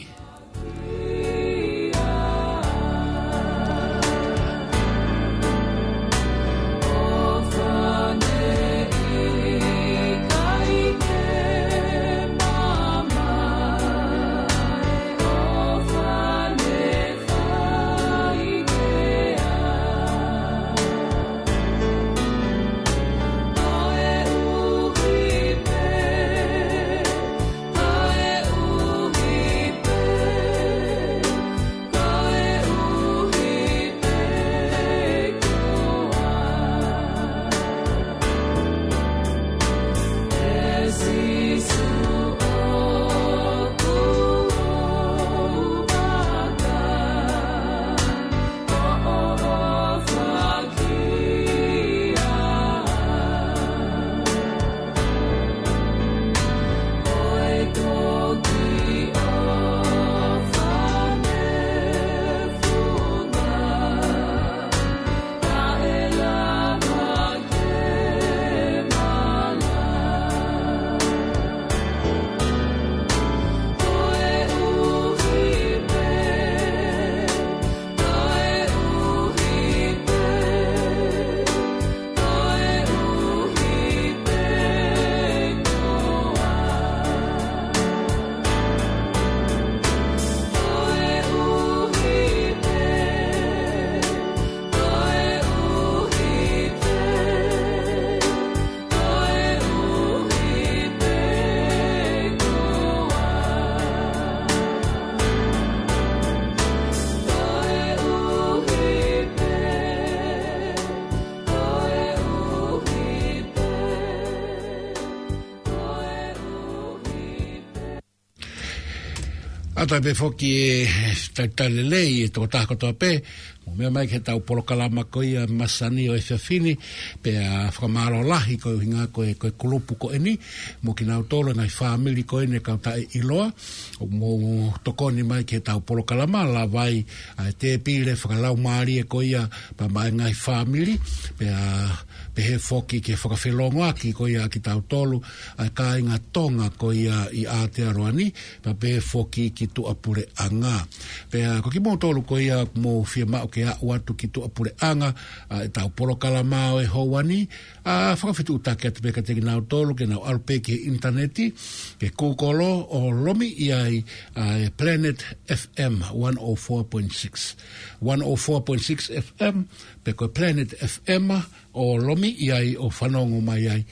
ʻAtā pē foki e talitali lelei e tokotaha kotoa pē, mou meʻa mai ki heʻetau polokalama ko ia masani ʻo e efiafi ni, pea fakamālō lahi ko e ʻuhinga ko e, ko e kulupu ko eni, mo kinautolu e ngaahi fāmili ko eni e kau taʻeʻiloa, ʻoku mou tokoni mai ki heʻetau polokalama, lava ai ʻa e tēpile fakalaumālie ko ia, pea maʻa e ngaahi fāmili, pea pehē foki ki he fakafelongoaki ko ia kitautolu, ʻa e kāinga Tonga ko ia ʻi Aotearoa ni, pea pehē foki ki tuʻapuleʻanga. Pea ko kimoutolu ko ia ʻoku mou fiemaʻu ke aʻu atu ki tuʻapuleʻanga, ʻa ʻetau polokalama ʻo e houa ni, ʻa fakafetuʻutaki atu pē kiate kinautolu ke nau ʻalu pē ki he ʻinitaneti, ke Google ʻo lomiʻi ai, ʻa e Planet F M one oh four point six. One oh four point six F M, pe ko e Planet F M, ʻo lomiʻi ai ʻo fanongo mai ai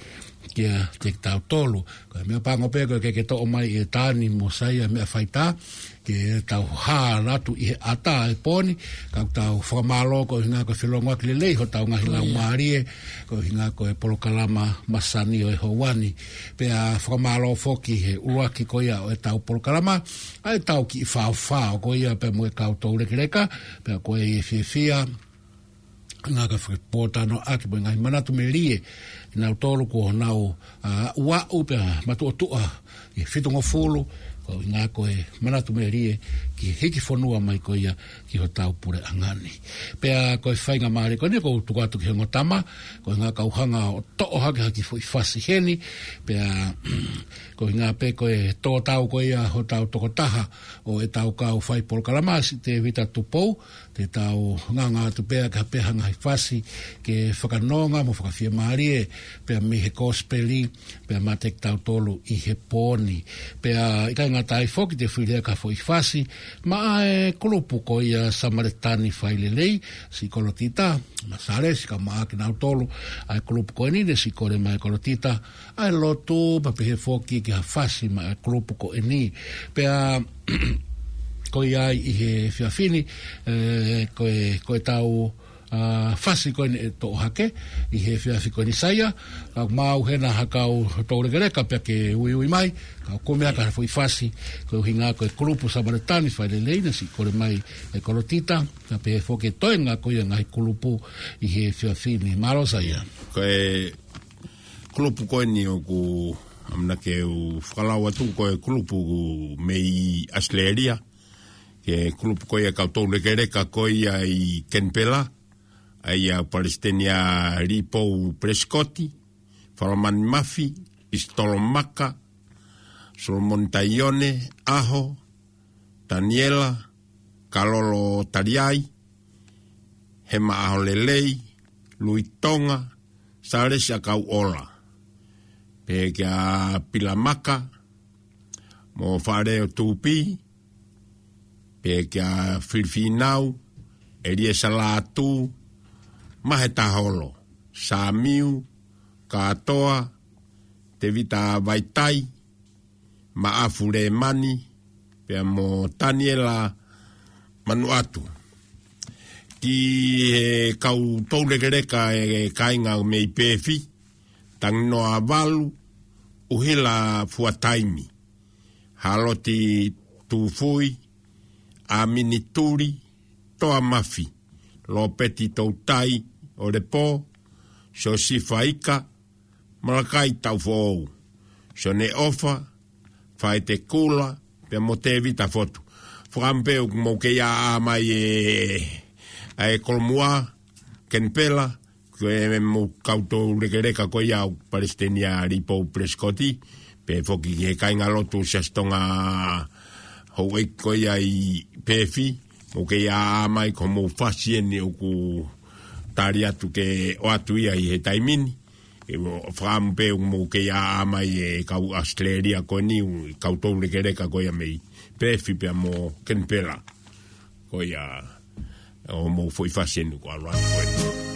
kiate kitautolu. Ko e meʻapango pē ko e ke ke toʻo mai e Tani mo Saia meʻa faitā, ke tau hā atu ʻi he ʻatā e pō ni, ka tau fakamālō ko e ʻuhinga ko e felongoaki lelei hotau ngaahi laumālie, ko e ʻuhinga ko e polokalama masani ʻo e houa ni. Pea fakamālō foki he ʻuluaki ko ia ʻo ʻetau polokalama, ʻa ʻetau kiʻi faofao ko ia pea mo e kau toulekeleka, pea ko e fiefia, ngā ka fakapōtalanoaʻaki mo e ngaahi manatu melie, ʻi nautolu ko honau, ʻa, ʻuaʻu pea matuʻotuʻa ʻi he fitungofulu, ko e ʻuhinga ko e manatu melie ki he hiki fonua mai ko ia ki hotau puleʻanga ni. Pea ko e faingamālie ko eni ʻoku ou tuku atu ki he ongo tama, ko e ʻuhinga kau hanga ʻo toʻo hake ha kiʻi foʻi fasi heni, pea ko e ʻuhinga pē ko e tō tau ko ia hotau tokotaha ʻo ʻetau kau fai polokalama, siʻi Tēvita Tupou, te tau ngāngā atu pē ki ha pē ha ngaahi fasi ke fakanonga mo fakafiemālie pea mei he kosipeli pea maʻa kitautolu ʻi he pō ni. Pea ʻikai ngata ai foki te u fili ki ha foʻi fasi maʻa e kulupu ko ia Samaletani Failelei, siʻi Kolotita Masalesi, kae ʻumaʻā kinautolu ʻa e kulupu ko eni, ne siʻi kole mai ʻe Kolotita ʻa e lotu, pea pehē foki ki ha fasi maʻa e kulupu ko eni. Pea ko ia ai ʻi he efiafi ni, ē, ko e, ko ʻetau, ʻa, fasi ko eni ʻe toʻo hake ʻi he efiafi ko eni Saia. Ka mau hena ha kau toulekeleka pea ke uiui mai, ka ʻoku meʻa ka foʻi fasi, ko e ʻuhinga ko e kulupu Samaletani Failelei naʻe siʻi kole mai ʻe Kolotita, ka pehē foki e toenga ko ia ngaahi kulupu ʻi he efiafi ni. Mālō Saia. Ko e kulupu ko eni ʻoku ʻamanaki ke u fakalau atu ko e kulupu mei ʻAositelēlia, ko e kulupu ko ia kau toulekeleka ko ia ʻi Kenipela, ʻa ia Palesiteni ʻa Lipou Pelesikoti, Falamani Mafi, Pisitolo Maka, Solomoni Taione, ʻAho, Taniela, Kalolo Taliai, Hema ʻAholelei, Lui Tonga, Salesi ʻAkauʻola. Pehē kia Pila Maka, mo Fale ʻo Tupi, pehē kia Filifinau, ʻEliesa Lātū, Mahe Taholo, Samiu, Katoa, Tevita Vaitai, Maʻafu Lemani, pea mo Taniela Manuʻatu. Ki he kau toulekeleka ʻe kāinga mei Pefi, Tanginoa Valu, ʻUhila Fuataimi, Haloti Tufui, ʻAmini Tuli, Toa Mafi, Lopeti Toutai, ʻOlepo, Siosifa Ika, Malakai Taufoʻou, Sione ʻOfa, Faite Kula, pea mo Tevita Fotu. Fakaʻamu pē ʻoku mou kei ʻā mai ʻe, ʻa e Kolomua, Kenipela, ko e mou kau toulekeleka ko ia ʻo Palesiteni ʻa Lipou Pelesikoti, pehē foki ki he kāingalotu Siasi Tonga Houʻeiki ko ia ʻi Pefi, mou kei ʻā mai ko hoʻomou fasi eni ʻoku tali atu ke ʻoatu ia ʻi he taimi ni. ʻE, fakaʻamu pē ʻoku mou kei ʻā mai e kau ʻAositelēlia ko eni, kau toulekeleka ko ia mei Pefi pea mo Kenipela. Ko ia, ʻo mou foʻi fasi eni ko ʻalu atu ko eni.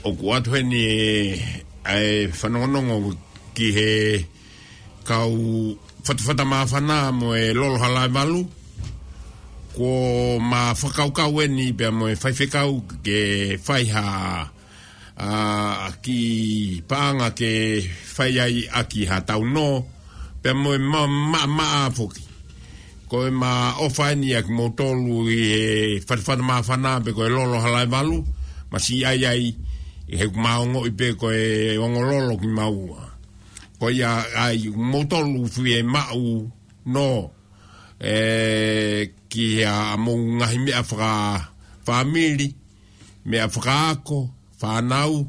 ʻOku ʻoatu heni ʻa e fanongonongo ki he kau fatafata māfana mo e lolo halaevalu. Kuo ma fakakaukau eni pea mo e faifekau ke fai ha, ʻa, kiʻi paʻanga ke fai ai ʻaki ha taunō, pea mo e ma-, ma-, maʻamaʻa foki. Ko e ma ʻofa eni ʻa kimoutolu ʻi he fatafata māfana pe ko e lolo halaevalu, ma siʻi ʻai ai, he ʻoku ma ongoʻi pē ko e ongo lolo kimaua. Ko ia ai moutolu fiemaʻu nō, ē, ki ha mou ngaahi meʻa fakafāmili, meʻa fakaako, fānau,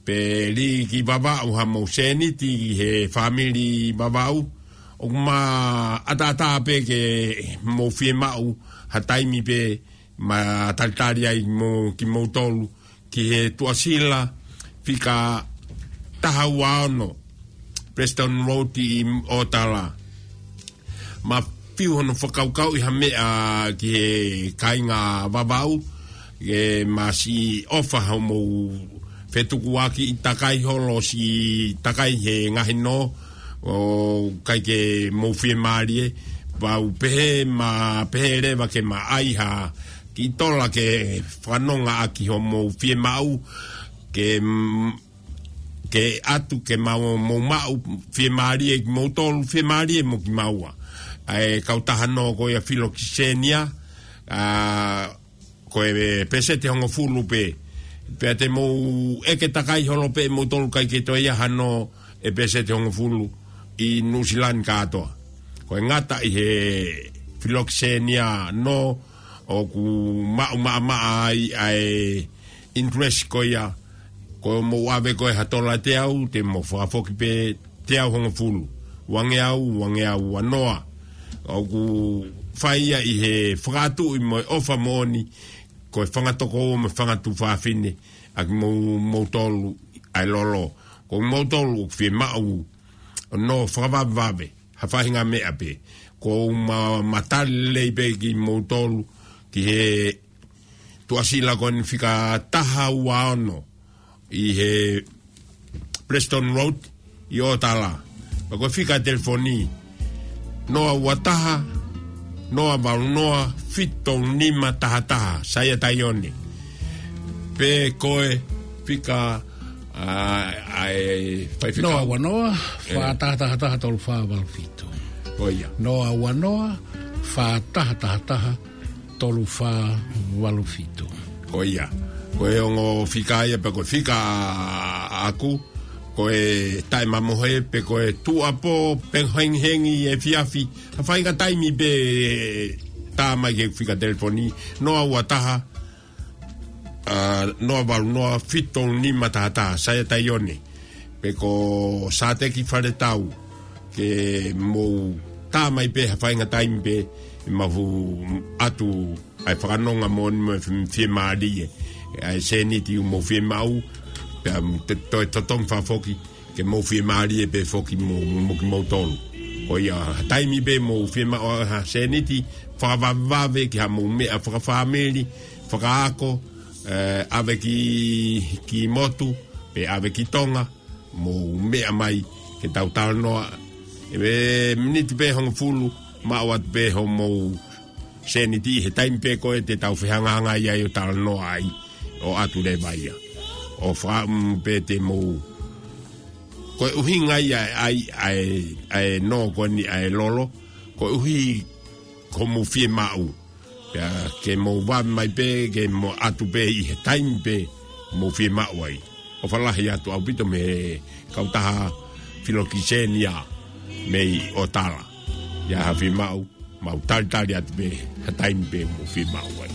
pe lī ki Vavaʻu ha mou sēniti ki he fāmili Vavaʻu. ʻOku ma ʻataʻatā pē ke mou fiemaʻu ha taimi pē ma talitali ai mo kimoutolu ki he Tuʻasila fika taha ua ono, Preston Road ʻi ʻOtala. Ma fiu hono fakakaukauʻi ha meʻa ki he kāinga Vavaʻu, ke ma siʻi ʻofa hoʻomou fetukuakiʻi takai holo siʻi takai he ngaahi nō, ʻoku ʻikai ke mou fiemālie, pau pehē ma pehē leva ke ma ʻai ha kiʻi tola ke fanongo ʻaki hoʻomou fiemaʻu, ke, mm, ke ʻatu ke mau, mou maʻu fiemālie kimoutolu, fiemālie mo kimaua. ʻA e kautaha nō ko ia Filokisenia, ʻa, ko e pēseti hongofulu pē. Pea te mou ʻeke takai holo pē moutolu ʻikai ke toe ʻi ai hano e pēseti hongofulu ʻi Nuʻusila ni kātoa. Ko e ngata ʻi he Filokisenia nō ʻoku maʻu maʻamaʻa ai ʻa e interest ko ia, ko mou ʻave ko e ha tola teau, te mou fakafoki pē teau hongofulu, uangeau, uangeau ua noa. ʻOku fai ia ʻi he fakatuʻi mo e ʻofa moʻoni, ko e fanga tokoua mo e fanga tuofāfine, ʻa kimou-, moutolu ʻa e lolo. Ko moutolu ʻoku fiemaʻu ʻo nō fakavavevave, ha faʻahinga meʻa pē. Ko ma, ma tali lelei pē kimoutolu ki he Tuʻasila ko eni fika taha ua ono ʻi he Preston Road ʻi ʻOtala. Pea ko e fika telefoni, noa ua taha, noa valu noa, fitu tolu nima taha taha, Saia Taione. Pe ko e fika, ʻa, ʻa e faifekau. Noa ua noa, ē, fā taha taha taha, tolu fā valu fitu. Ko ia. Noa ua noa, fā taha taha taha, tolu fā valu fitu. Ko ia. Ko e ongo fika ia pe ko e fika ʻaʻaku, ko e taʻemamohe pe ko e tuʻuapō, pe hengihengi efiafi. Ha faʻahinga taimi pē tā mai ki he fika telefoni, noa ua taha, ʻa, noa valu noa, fitu tolu nima taha taha, Saia Taione. Pe ko Sāteki Faletau, ke mou tā mai pē ha faʻahinga taimi pē, ʻe mau ʻatu ʻa e fakanonga moʻoni mo e fie-, fiemālie. ʻA e sēniti ʻoku mou fiemaʻu, pea te-, toe totongi fakafoki, ke mou fiemālie pē foki mo, mo kimoutolu. Ko ia ha taimi pē mou fiemaʻu ha sēniti, fakavavevave ki ha mou meʻa fakafāmili, fakaako, ē, ʻave ki, ki motu, pe ʻave ki Tonga, mou meʻa mai ke tau talanoa. ʻE miniti pē hongofulu, maʻu atu pē hoʻomou sēniti he taimi pē ko ē te tau fehangahangai ai ʻo talanoa ai, ʻo ʻatu leva ia. ʻO fakaʻamu pē te mou. Ko e ʻuhinga ia ʻa e, ʻa e, ʻa e nō ko eni ʻa e lolo, ko e ʻuhi ko mou fiemaʻu. Pea ke mou vave mai pē, ke mou ʻatu pē ʻi he taimi pē mou fiemaʻu ai. ʻOfa lahi atu ʻaupito mei he kautaha Filokisenia mei ʻOtala. ʻI ai ha fiemaʻu, mau talitali atu pē ha taimi pē mou fiemaʻu ai.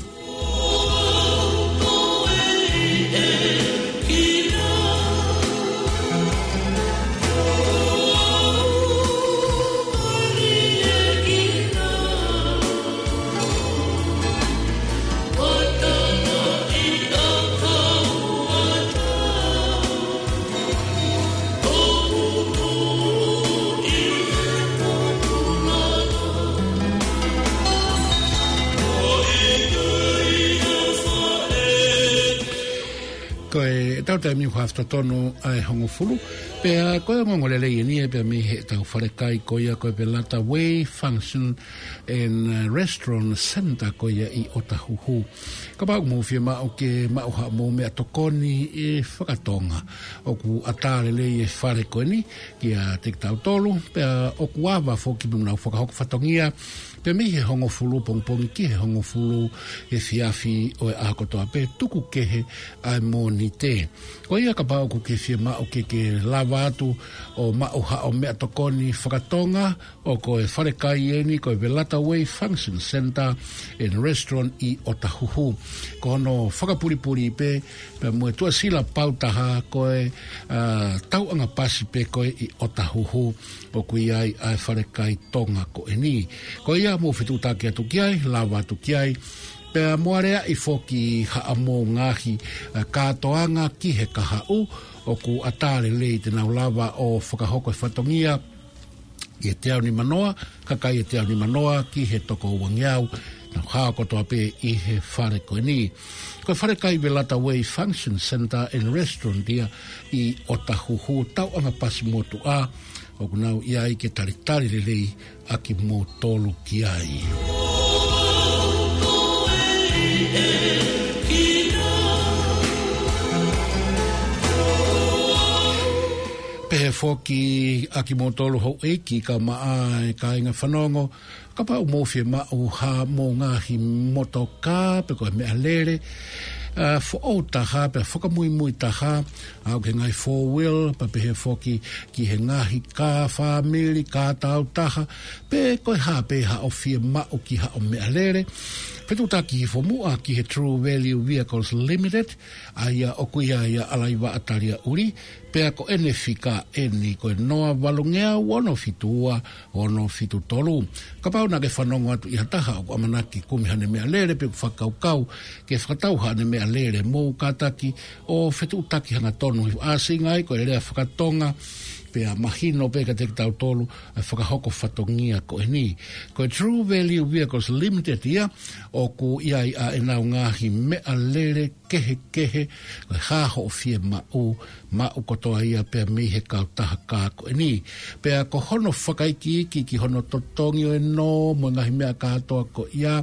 Pea mei he ʻaho totonu ʻa e hongofulu. Pea ko e ongoongolelei eni ʻe pea mei heʻetau falekai ko ia ko e Velata Way Function and, uh, Restaurant Center ko ia ʻi ʻOtahuhu. Kapau ʻoku mou fiemaʻu ke maʻu haʻamou meʻatokoni ʻe fakatonga, ʻoku ʻatā lelei e fale ko eni kiate kitautolu, pea ʻoku ava foki pea nau fakahoko fatongia pea mei he hongofulu pongipongi ki he hongofulu efiafi ʻo e ʻaho kotoa pē, tuku kehe ʻa e Mōnite. Ko ia kapau ʻoku ke fiemaʻu ke ke lava atu ʻo maʻu haʻo meʻatokoni fakatonga, ʻoku ko e falekai eni ko e Velata Way Function Center and Restaurant ʻi ʻOtahuhu. Ko hono fakapulipuli pē, pea mo e tuʻasila pautaha ko e, ā, tauʻanga pasi pē ko ē ʻi ʻOtahuhu ʻoku ʻi ai ʻa e falekai Tonga ko eni. Ko ia mou fetuʻutaki atu ki ai, lava atu ki ai. Pea mou aleaʻi foki haʻamou ngaahi, ā, kātoanga ki he kahaʻu, ʻoku ʻatā lelei te nau lava ʻo fakahoko e fatongia ʻi he teau nimanoa, kakai ʻe teau nimanoa ki he toko uangeau, nau hao kotoa pē ʻi he fale ko eni. Ko e falekai Velata Way Function Center and Restaurant ia ʻi ʻOtahuhu, tauʻanga pasi motuʻa, ʻoku nau ʻi ai ke talitali lelei ʻa kimoutolu ki ai. Pehē foki ʻa kimoutolu houʻeiki kae ʻumaʻā e kāinga fanongo, kapau ʻoku mou fiemaʻu haʻamou ngaahi motokā pe ko e meʻalele, ā, foʻou taha, pea fakamuimui taha, ʻa ia ko e ngaahi four wheel, pea pehē foki ki he ngaahi kā fāmili, kā taautaha, pe ko e hā pē haʻo fiemaʻu ki haʻo meʻalele. Fetuʻutaki hifo muʻa ki he True Value Vehicles Limited, ʻa ia ʻoku ʻi ai ʻa ʻAlaivaʻa Taliaʻuli, pea ko ʻene fika eni ko e noa valungeau ono fitu ua ono fitu tolu. Kapau naʻa ke fanongo atu ʻi ha taha ʻoku ʻamanaki kumi haʻane meʻalele pe ʻoku fakakaukau ke fakatau haʻane meʻalele, mou kātaki ʻo fetuʻutaki hangatonu, ʻa e ʻuhinga ai ko e lea fakatonga, pea mahino pē kiate kitautolu ʻa e fakahoko fatongia ko eni. Ko e True Value Vehicles Limited ia, ʻoku ʻi ai ʻa ʻenau ngaahi meʻalele kehekehe, ko e hā hoʻo fiemaʻu, maʻu kotoa ia pea mei he kautaha kā ko eni. Pea ko hono fakaikiiki ki hono totongi ʻo e nō mo e ngaahi meʻa kātoa ko ia,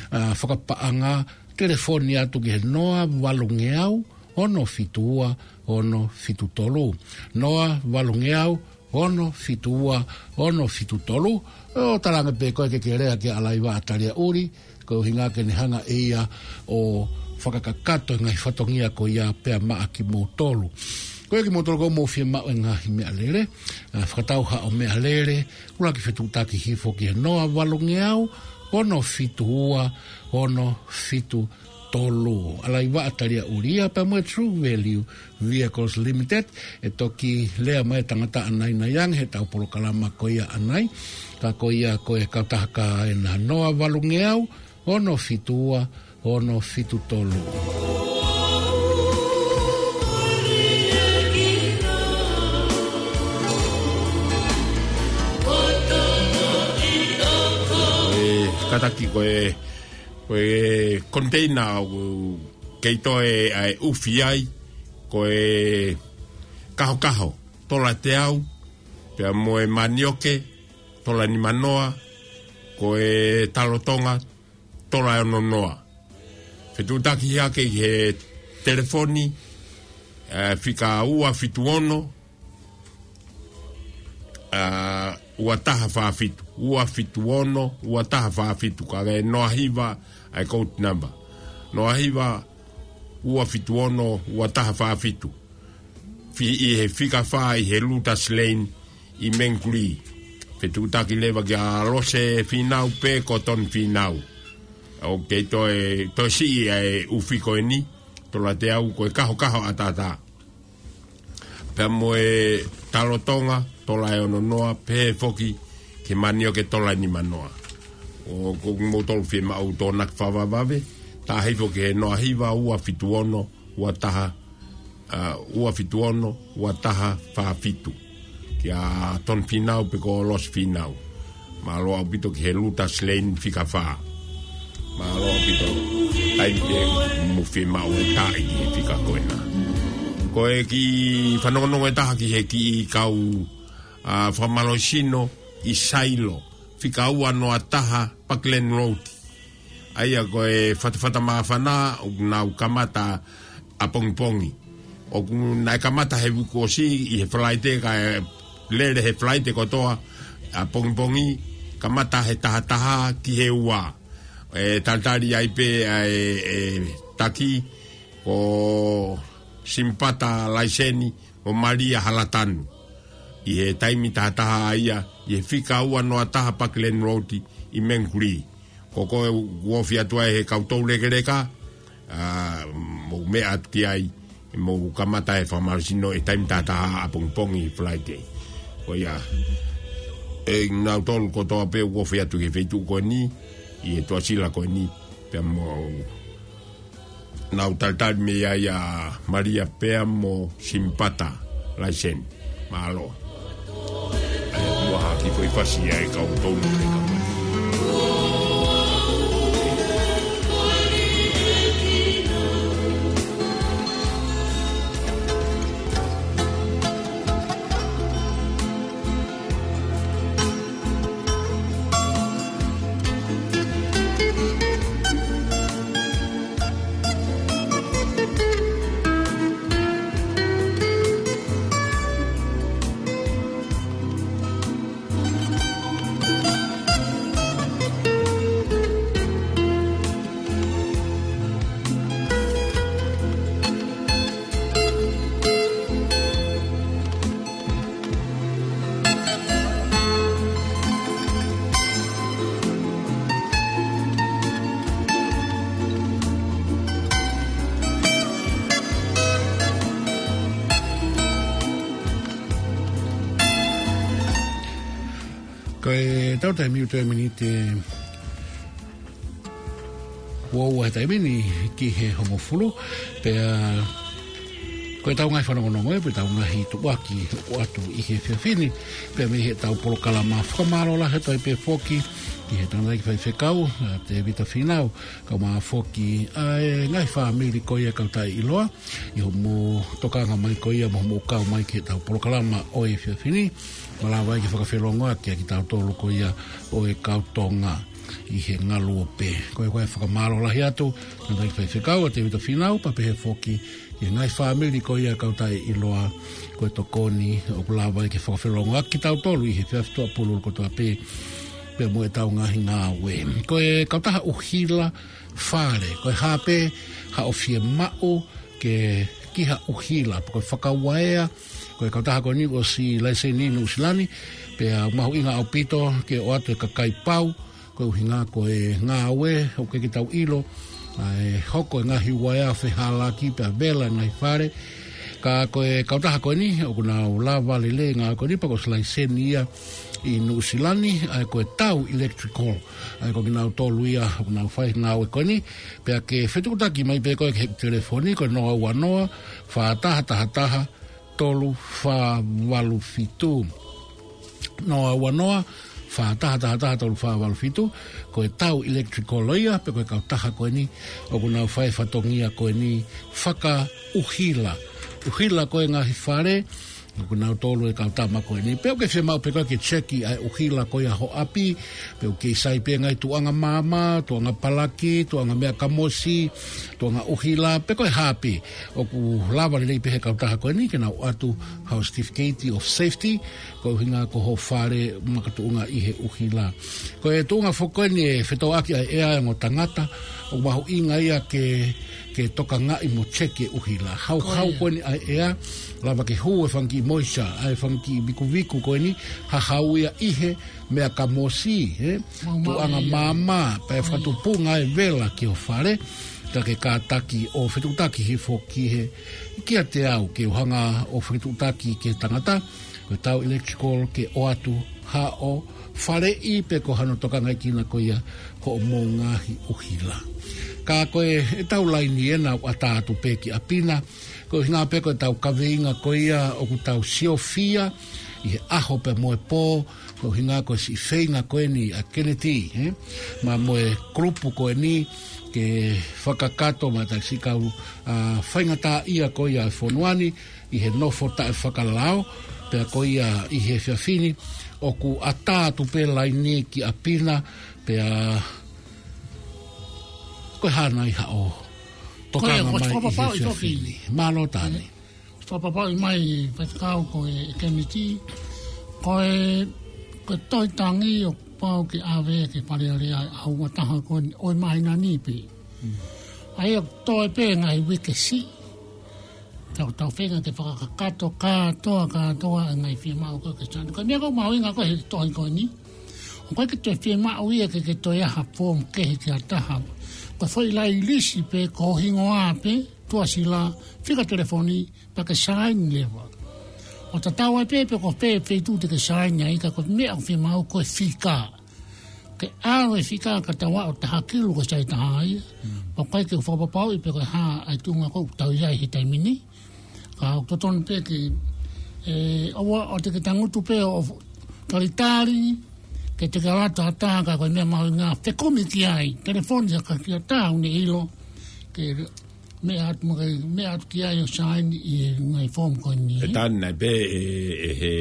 ā, fakapaʻanga, telefoni atu ki he noa valungeau ono fitu ua ono fitu tolu. Noa valungeau ono fitu ua ono fitu tolu. ʻO talaange pē koe ke ke lea kia ʻAlaivaʻa Taliaʻuli, ko e ʻuhinga ke ne hanga ʻe ia ʻo fakakakato e ngaahi fatongia ko ia pea maʻa kimoutolu. Ko ia kimoutolu ʻoku mou fiemaʻu e ngaahi meʻalele, ā, fakatau haʻo meʻalele, ʻuluaki fetuʻutaki hifo ki he noa valungeau ono fitu ua ono fitu tolu. ʻAlaivaʻa Taliaʻuli ia pea mo e True Value Vehicles Limited, ʻe toki lea mai e tangata ʻanainaiange heʻetau polokalama ko ia ʻanai, ka ko ia ko e kautaha kā ena, noa valungeau ono fitu ua ono fitu tolu. ʻE, kātaki ko e Ko e container ʻoku kei toe ʻa e ʻufi ai, ko e kahokaho, tola teau, pea mo e manioke, tola nimanoa, ko e talotonga, tola ononoa. Fetuʻutaki hake ʻi he telefoni, ā, fika ua fitu ono, ā, ua taha fā fitu, ua fitu ono, ua taha fā fitu, ka ko e noa hiva ʻa e code number. Noa hiva, ua fitu ono, ua taha fā fitu. Fi-, ʻi he fika fā ʻi he Lotus Lane ʻi Mangere. Fetuʻutaki leva kia Lose Fīnau pe ko Toni Fīnau. ʻOku kei toe, toe siʻi ʻa e ʻufi ko eni, tola teau ko e kahokaho ʻataʻatā. Pea mo e talotonga, tola ʻe ononoa, pehē foki ki he manioke, tola nimanoa. ʻOku mou tolu fiemaʻu tokonaki fakavavevave, tā hifo ki he noa hiva ua fitu ono ua taha, ā, ua fitu ono ua taha fā fitu. Kia Toni Fīnau pe ko Lose Fīnau. Mālō ʻaupito ki he Lotus Lane fika fā. Mālō ʻaupito. Taimi pē ʻoku mou fiemaʻu e taaʻi ki he fika ko ena. Ko e kiʻi fanongonongo ʻe taha ki he kiʻi kau, ʻa, fakamālohisino ʻi Sailo, fika ua noa taha Parkland Road. ʻA ia ko e fatafata māfana ʻoku nau kamata ʻapongipongi. ʻOku naʻe kamata he uike kuo ʻosi ʻi he Falaite kae lele he Falaite kotoa ʻapongipongi, kamata he taha taha ki he ua. ʻE talitali ai pē ʻa e, ʻe taki ko Simipata Laiseni mo Malia Halatanu. ʻI he taimi taha taha ia, ʻi he fika ua noa taha Parkland Road ʻi Mangere. Ko koe ʻoku ofi atu ai he kau toulekeleka, ʻa, mou meʻa atu ki ai, mou kamata e fakamālohisino he taimi taha taha ʻapongipongi Falaite. Ko ia, ʻe nautolu kotoa pē ʻoku ofi atu ki he feituʻu ko eni, ʻi he tuʻasila ko eni, pea mou nau talitali mei ai ʻa Malia pea mo Simipata Laiseni. Mālō. ʻA ia kuo hā ki foʻi fasi ʻa e kau toulekeleka. Ko e tau taimi ʻoku toe miniti ua ua he taimi ni ki he hongofulu, pea ko e tau ngaahi fanongonongo ē, pe tau ngaahi tuʻuaki ʻoku ʻoatu ʻi he efiafi ni, pea mei he tau polokalama. Fakamālō lahi atu ai pē foki ki he tangataʻeiki faifekau, ʻa Tēvita Fīnau, kae ʻumaʻā foki ʻa e ngaahi fāmili ko ia kau taʻeʻiloa, ʻi hoʻomou tokanga mai ko ia mo hoʻomou kau mai ki he tau polokalama ʻo e efiafi ni, malava ai ke fakafelongoaki ʻa kitautolu ko ia ʻo e kau Tonga ʻi he ngaluope. Ko ia ko e fakamālō lahi atu, tangataʻeiki faifekau ʻa Tēvita Fīnau, pea pehē foki ki he ngaahi fāmili ko ia kau taʻeʻiloa, ko e tokoni ʻoku lava ai ke fakafelongoaki kitautolu ʻi he efiafi Tuʻapululu kotoa pē, pea mo e tau ngaahi ngāue. Ko e kautaha ʻuhila fale, ko e hā pē haʻo fiemaʻu ke ki ha ʻuhila, pe ko e fakauaea, ko e kautaha ko eni ʻosi laiseni ʻi Nuʻusila ni, pea mahuʻinga ʻaupito ke ʻoatu e kakai pau, ko e ʻuhinga ko e ngāue, ʻoku ʻikai ke tau ʻilo ʻa e hoko e ngaahi uaea fehālaaki pea vela e ngaahi fale. Ka ko e kautaha ko eni, ʻoku nau lava lelei e ngāue ko eni, pea kuo ʻosi laiseni ia ʻi Nuʻusila ni, ʻa ia ko e Tau Electrical. ʻA ia ko kinautolu ia ʻoku nau fai e ngāue ko eni, pea ke fetuʻutaki mai pē koe ki he telefoni, ko e noa ua noa, fā taha taha taha, tolu fā valu fitu. Noa ua noa, fā taha taha taha, tolu fā valu fitu, ko e Tau Electrical ia, pea ko e kautaha ko eni, ʻoku nau fai e fatongia ko eni fakaʻuhila. ʻUhila ko e ngaahi fale, ʻoku nau tolu e kau tama ko eni. Pea ʻoku ke fiemaʻu pē koe ke cheki ʻa e ʻuhila ko ia ho ʻapi, pea ʻoku kei sai pē ngaahi tuʻunga maama, tuʻunga palaki, tuʻunga meʻa kamosi, tuʻunga ʻuhila, pe ko e hā pē. ʻOku lava lelei pē he kautaha ko eni ke nau ʻoatu haʻo certificate of safety, ko e ʻuhinga ko ho fale makatuʻunga ʻi he ʻuhila. Ko e tuʻunga foki ko eni e fetōʻaki ʻa e ʻea ʻa e ongo tangata, ʻoku mahuʻinga ia ke, ke tokangaʻi mo cheki e ʻuhila. Hauhau ko eni ʻa e ʻea, lava ke hū e fanga kiʻi moisture, ʻa e fanga kiʻi vikuviku ko eni, hahau ia ʻi he meʻa kamosi, ē? Tuʻunga maama, pea fakatupunga e vela ki ho fale, ka ke kātaki ʻo fetuʻutaki hifo ki he, kiate au ke u hanga ʻo fetuʻutaki ki he tangata, ko e Tau Electrical ke ʻoatu haʻo faleʻi pe ko hano tokangaʻi kina ko ia hoʻomou ngaahi ʻuhila. Ka ko e, e tau laini ena ʻoku ʻatā atu pē ki ʻapi na, Ko e ʻuhinga pē ko ʻetau kaveinga ko ia ʻoku tau siofia ʻi he ʻaho pea mo e pō, ko e ʻuhinga ko e siʻi feinga ko eni ʻa Keneti, ē? Pea mo e kulupu ko eni ke fakakakato mo e tau siʻi kau, ā, faingataʻaʻia ko ia ʻa e fonua ni ʻi he nofo taʻefakalao, pea ko ia ʻi he efiafi ni, ʻoku ʻatā atu pē laini ki ʻapi na, pea ko e hā nai haʻo tokanga mai ʻi he efiafi ni. Mālō Tani. Fakapapauʻi mai, Faifekau, ko e Keneti, ko e, ko e tohi tangi ʻoku pau ke ʻave ki Fale Alea ʻa e ʻOtua ko eni ʻo e māhina ni pē. ʻA ia ʻoku toe pē ngaahi uike siʻi. Tau, tau feinga ke fakakakato kātoa, kātoa e ngaahi fiemaʻu ko ē ke saini. Ko e meʻa ʻoku mahuʻinga ko ē he tohi ko eni, ʻoku ʻikai ke toe fiemaʻu ia ke, ke toe ʻai ha foomu kehe ki ha taha. Ko e foʻi lailisi pē, ko ho hingoa pē, tuʻasila, fika telefoni, pea ke saini leva. ʻO tatau ai pē pe ko fē feituʻu te ke saini ai, ka ko e meʻa ʻoku fiemaʻu ko e fika. Ke ʻalu e fika ka tau ʻai ʻo tahakilu ko e sai taha ia. Mm. Pea ʻoku ʻikai ke u fakapapauʻi pe ko e hā ʻa e tuʻunga ʻoku tau ʻi ai he taimi ni. Ka ʻoku totonu pē ke, ē, ʻoua ʻo te ke tangutu pē ʻo talitali, ke te ke ʻalu atu ha taha ka ko e meʻa mahuʻinga fekumi ki ai. Telefoni ha taha ʻoku ne ʻilo, ke meʻa atu mo ke, meʻa atu ki ai ʻo saini ʻi he ngaahi foomu ko eni. ʻE Tani, naʻe pehē ʻe, ʻe he,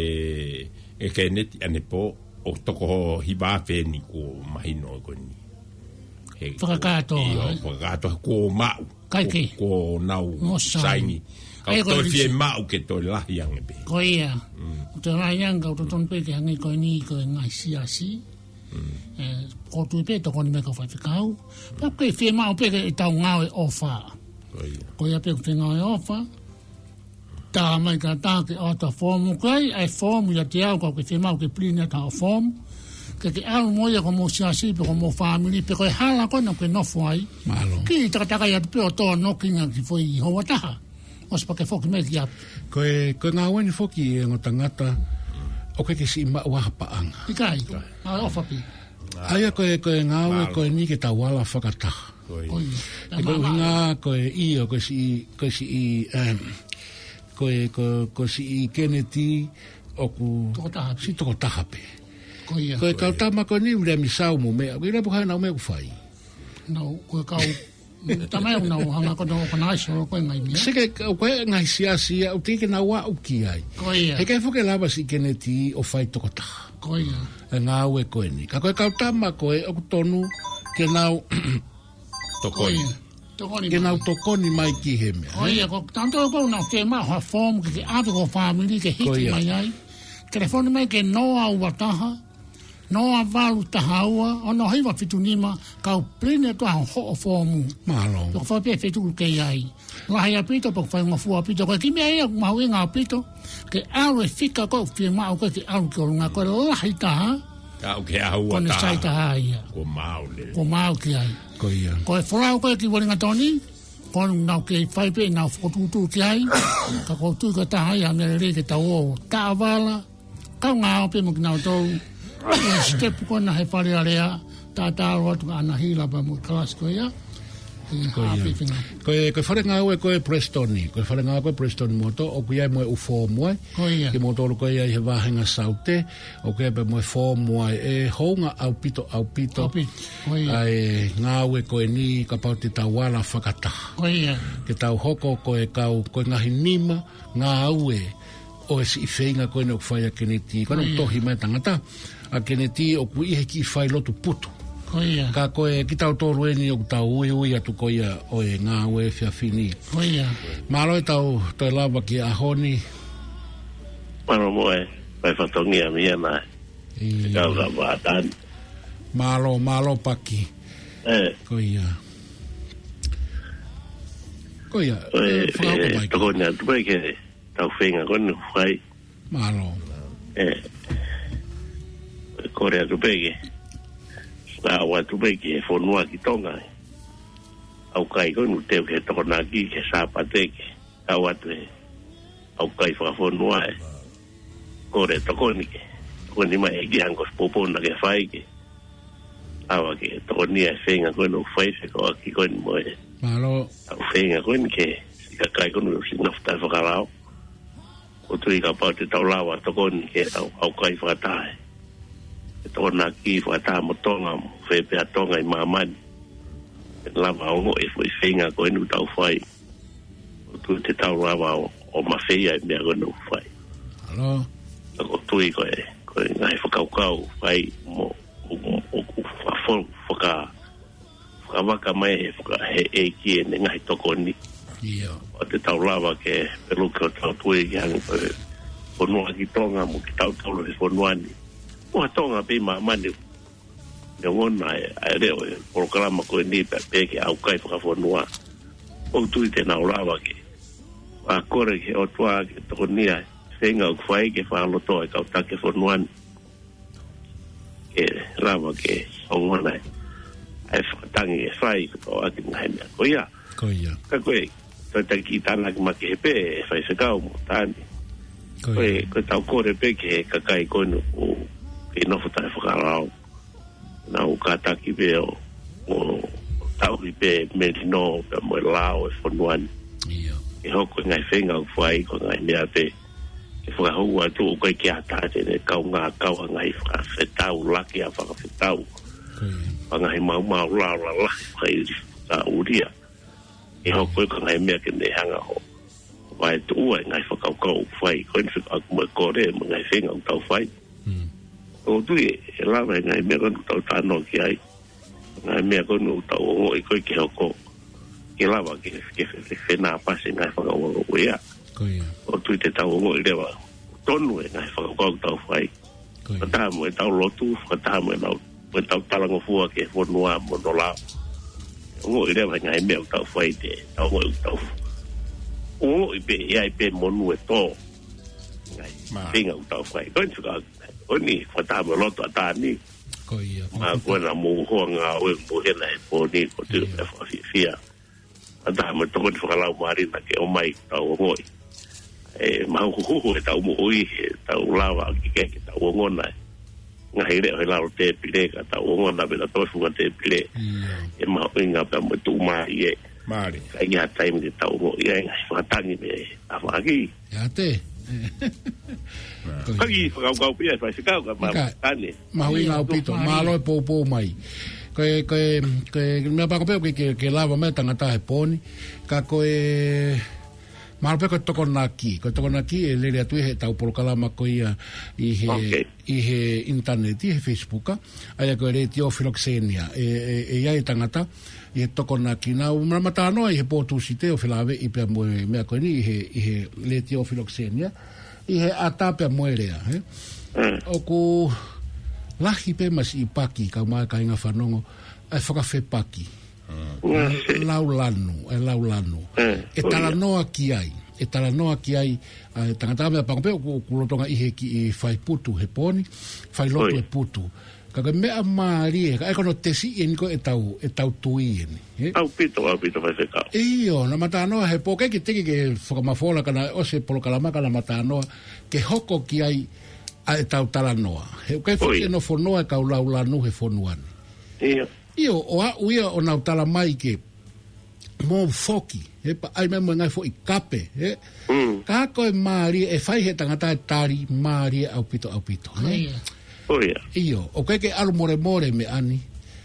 ʻe Keneti ʻanepō, ʻoku toko hiva pē eni kuo mahino ko eni. He, fakakātoa, ʻio, ē? Fakakātoa kuo maʻu. ʻIkai ke. Kuo, kuo nau saini. Saini. Ka ʻoku toe fiemaʻu ke toe lahi ange pē. Ko ia. Mm. Toe lahi ange, ka ʻoku totonu pē ke hangē ko eni ko e ngaahi siasi. Mm. Ē, ʻoku ou tui pē tokoni mai kau faifekau. Pea ʻoku fiemaʻu pē ke tau ngāue ʻofa. Ko ia. Ko ia pē ʻoku te ngāue ʻofa. Tā mai ka tā ke ʻoatu ha foomu, ʻoku ʻi ai e foomu ʻiate au, ka ʻoku ke fiemaʻu ke pilini atu ha foomu. Ke ke ʻalu mo ia ki homou siasi, pe ki homou fāmili, pe ko e hala ko ena ʻoku ke nofo ai. Mālō. Kiʻi takatakai atu pē ʻo tō noki ngā ki foʻi houa taha. ʻOsi pea ke foki mai ki ʻapi. Ko e, ko e ngāue ni foki e ongo tangata, ʻoku ʻikai ke siʻi maʻu ha paʻanga. ʻIkai. ʻIkai. ʻA ʻofa pē. ʻA ia ko e, ko e ngāue, mālō, ko eni ke tau ala fakataha. Ko ia. Ko ia. Ko e ʻuhinga ko e ʻio, ko e siʻi, ko e siʻi, em, ko e, ko, ko e siʻi Keneti ʻoku tokotaha pē. Siʻi tokotaha pē. Ko ia. Ko e kau tama ko eni ʻoku ʻi ai e meʻa ʻoku ʻi ai pē ko e hā ʻenau meʻa ʻoku fai. Nau, ko e kau, tama ʻoku nau hanga ko ʻenau ʻoku nau ʻai solo ko e ngaahi meʻa. Seke, ko e ngaahi siasi ia, ʻoku teʻeki ke nau aʻu ki ai. Ko ia. He ʻikai foki ke lava siʻi Keneti ʻo fai tokotaha. Ko ia. E ngāue ko eni. Ka ko e kau tama ko ē ʻoku totonu ke nau tokoni. Ko ia. Tokoni mai. Ke nau tokoni mai ki he meʻa, ē? Ko ia, ko tanto ko ʻenau fiemaʻu ha foomu ke ke ʻave ki ho fāmili ke hiki mai ai. Ko ia. Telefoni mai ki he noa ua taha, noa valu taha ua, ono hiva fitu nima, kau pilini atu ʻa hoʻo foomu. Mālō. Pea ʻoku fai pē feituʻu ʻoku ke ʻi ai. Lahi ʻaupito, pea ʻoku faingofua ʻaupito. Ko e kiʻi meʻa ia ʻoku mahuʻinga ʻaupito, ke ʻalu e fika ko ē ʻoku fiemaʻu ko ē ke ʻalu ki ʻolunga, ko e lahi taha. Ka ʻoku ke ʻalu ʻa taha. Ko ʻene sai taha ia. Kuo maʻu lelei. Kuo maʻu ki ai. Ko ia. Ko e folau ko ē ki Uelingatoni, ko ʻenau kei fai pē ʻenau fokotuʻutuʻu ki ai. Ka ʻoku ou tui ko e taha ia e meʻa lelei ke tau ō taʻavala, kaungā ʻo pē mo kinautolu. Ko e sitepu ko ena he Fale Alea, tātā ʻalu atu kia ʻAnahila pea mo e kalasi ko ia. Ko ia. Ko e, ko e fale ngāue ko ē Presitoni, ko e fale ngāue ko ē Presitoni Moto, ʻoku ʻi ai mo e ʻū foomu ai. Ko ia. Kimoutolu ko ia ʻi he vāhenga Saute, ʻoku ʻi ai pē mo e foomu ai ʻe hounga ʻaupito, ʻaupito. ʻAupito. Ko ia. ʻA e ngāue ko eni kapau te tau ala fakataha. Ko ia. Ke tau hoko ko e kau, ko e ngaahi nima ngāue ʻo e siʻi feinga ko eni ʻoku fai ʻa Keneti. Ko ʻenau tohi mai tangata, ʻa Keneti ʻoku ʻi he kiʻi failotu putu. Ko ia. Ka ko e kitautolu eni ʻoku tau uiui atu ko ia ʻo e ngāue efiafi ni. Ko ia. Mālō e tau toe lava ki he ʻaho ni. Mālō mo e, mo e fatongia mei ana. ʻIo. Kau ka vātan. Mālō, mālō Paki. Ē. Ko ia. Ko ia. Ko e, ē, fakahoko mai. Tokoni atu mai ke tau feinga ko eni ʻoku fai. Mālō. Ē. Kole atu pē ke. Ka ʻoatu pē ke fonua ki Tonga. ʻOku ʻikai ko eni ʻoku teu ke tokonaki ke Sāpate ke. Ka ʻoatu ē. ʻOku ʻikai fakafonua ē. Kole tokoni ke. Tokoni mai ʻEiki hangē ko e poupou naʻa ke fai ke. ʻAva ke tokoni ʻa e feinga ko eni ʻoku fai fekauʻaki ko eni mo e. Mālō. ʻA e feinga ko eni ke kakai ko eni ʻoku ʻosi nofo taʻefakalao. ʻOku ou tui kapau te tau lava tokoni ke tau ʻaukai fakataha e Tokonaki fakataha mo Tonga, mo fē pē ha Tonga ʻi māmani, ke lava ʻo ongoʻi e foʻi feinga ko eni ʻoku tau fai. ʻOku ou tui te tau lava ʻo, ʻo mafeia e meʻa ko eni ʻoku fai. Hello? Ka ʻoku ou tui ko e, ko e ngaahi fakakaukau fai mo, ʻo, ʻo, ʻo, ʻo fa-, fo-, faka-, fakavaka mai he faka-, he ʻEiki ʻene ngaahi tokoni. ʻIo. ʻO te tau lava ke peluki ʻo tau tui ki hangē ko e fonua ki Tonga mo kitautolu he fonua ni. Mo ha Tonga pē ʻi māmani, neongo ʻa e, ʻa e leʻo e polokalama ko eni pē, pē ke ʻaukai fakafonua. ʻOku ou tui te nau lava ke fakakole ki he ʻOtua ke tokonia e feinga ʻoku fai ke fakalotoʻi e kau taki e fonua ni. Ke lava ke ongona e, ʻa e fakatangi e fai, ke pau ʻaki e ngaahi meʻa ko ia. Ko ia. Ka ko e, ko e taki tānaki makehe pē, e faifekau mo Tani. Ko Ko e, ia. ko e tau kole pē ki he kakai ko eni ʻoku kei nofo taʻefakalao. Nau kātaki pē ʻo, ʻo tauhi pē melino pea mo e lao e fonua ni. ʻIo. Ke hoko e ngaahi feinga ʻoku fai ko e ngaahi meʻa pē ke fakahū atu ʻoku ʻikai ke ʻatā te ne kaungā kau ha ngaahi fakafetau, laki ʻa e fakafetau. Ko ia. Fanga ngaahi maumau lao lalahi fakaili fakaʻulia. ʻE hoko ia ko e ngaahi meʻa ke ne hanga ʻo vaetuʻua e ngaahi fakakaukau ʻoku fai. Ko eni fekauʻaki mo e kole, mo e ngaahi feinga ʻoku tau fai. Mm. ʻOku ou tui ʻe lava e ngaahi meʻa ko eni ʻoku tau talanoa ki ai. Ngaahi meʻa ko eni ʻoku tau ongoʻi ko ē ke hoko. Ke lava ke, ke fe-, fe-, fenāpasi e ngaahi fakakaukau ia. Ko ia. ʻOku ou tui te tau ongoʻi leva. Tonu e ngaahi fakakaukau ʻoku tau fai. Ko ia. Fakataha mo ʻetau lotu, fakataha mo ʻetau, mo ʻetau talangofua ki he fonua mo hono lao. Ongoʻi leva e ngaahi meʻa ʻoku tau fai te, tau ongoʻi ʻoku tau ongoʻi pē, ʻe ʻi ai pē monū ʻe tō. Ngaahi Ma. feinga ʻoku tau fai. Ko eni fika, ko eni fakataha mo e lotu ʻa Tani. Ko ia. Ma ko ena mo hoa ngāue mo hena he pō ni, ko te Ia. e fakafiefia. Fakataha mo e tokoni fakalaumālie naʻa ke ʻomai ke tau ongoʻi. ʻE mahuhuhu ʻetau moʻui, ʻe tau lava ke, ke, ke tau ongona e ngaahi leʻo he lalo tēpile, ka tau ongona pē ʻetau funga tēpile. Ia. ʻE mahuʻinga pea mo e tuʻumālie. Mālie. Ka ʻi ai ha taimi ke tau ongoʻi ai e ngaahi fakatangi mei he tafaʻaki. Ia te. Ko ia. Ka kiʻi fakakaukau pē ia, faifekau, ka ma Ika. tane. Mahuʻinga Ia, ʻaupito, tuʻumālie. Mālō e poupou mai. Ko e, ko e, ko e, meʻa pē ko ē ke, ke, ke lava mai e tangata he pō ni. Ka ko e, mahalo pē ko e Tokonaki. Ko e Tokonaki ʻe lele atu ia heʻetau polokalama ko ia ʻi he, Ok. ʻi he ʻinitaneti, he Facebook, ʻa ia ko e Letiō Filokisenia. ʻE, ʻe, ʻe ʻi ai e tangata, ʻi he Tokonaki. Naʻa ku mata-, mata-, talanoa ʻi he pō Tūsite ʻo felāveʻi pea mo e meʻa ko eni ʻi he, ʻi he Letiō Filokisenia. ʻI he ʻata pea mo e lea, ē? Mm. ʻOku lahi pē masiʻi paki, kau mai kāinga fanongo, ʻa e fakafepaki. Mm. Laulanu, ʻa e laulanu. Mm. ʻE Oh, ia. talanoa ki ai, ʻe talanoa ki ai, ʻa e tangata meʻa pē ko ē ʻoku, ʻoku lolotonga ʻi he kiʻi fai putu he pō ni, fai lotu Oh, ia. e putu. Ka ko e meʻa mālie, ka ʻe ko hono tesi eni ko ʻetau, ʻetau tui eni, ē? ʻAupito, ʻaupito faifekau. ʻIo, naʻa ma talanoa he pō, ʻikai ke teke ke fakamafola ka naʻe ʻosi e polokalama ka naʻa ma talanoa ke hoko ki ai ʻa ʻetau talanoa. He ʻoku ʻikai foʻi ʻIo. ʻe nofo noa e kau laulanu he fonua ni. ʻIo. ʻIo, ʻo aʻu ia ʻo nau tala mai ke mou foki, he pea ʻai mai mo e ngaahi foʻi kape, ē? Mm. Ka ko e mālie ʻe fai he tangata e tali mālie ʻaupito, ʻaupito, ē? ʻIo. ʻIo, ʻoku ʻikai ke ʻalu molemole meʻa ni.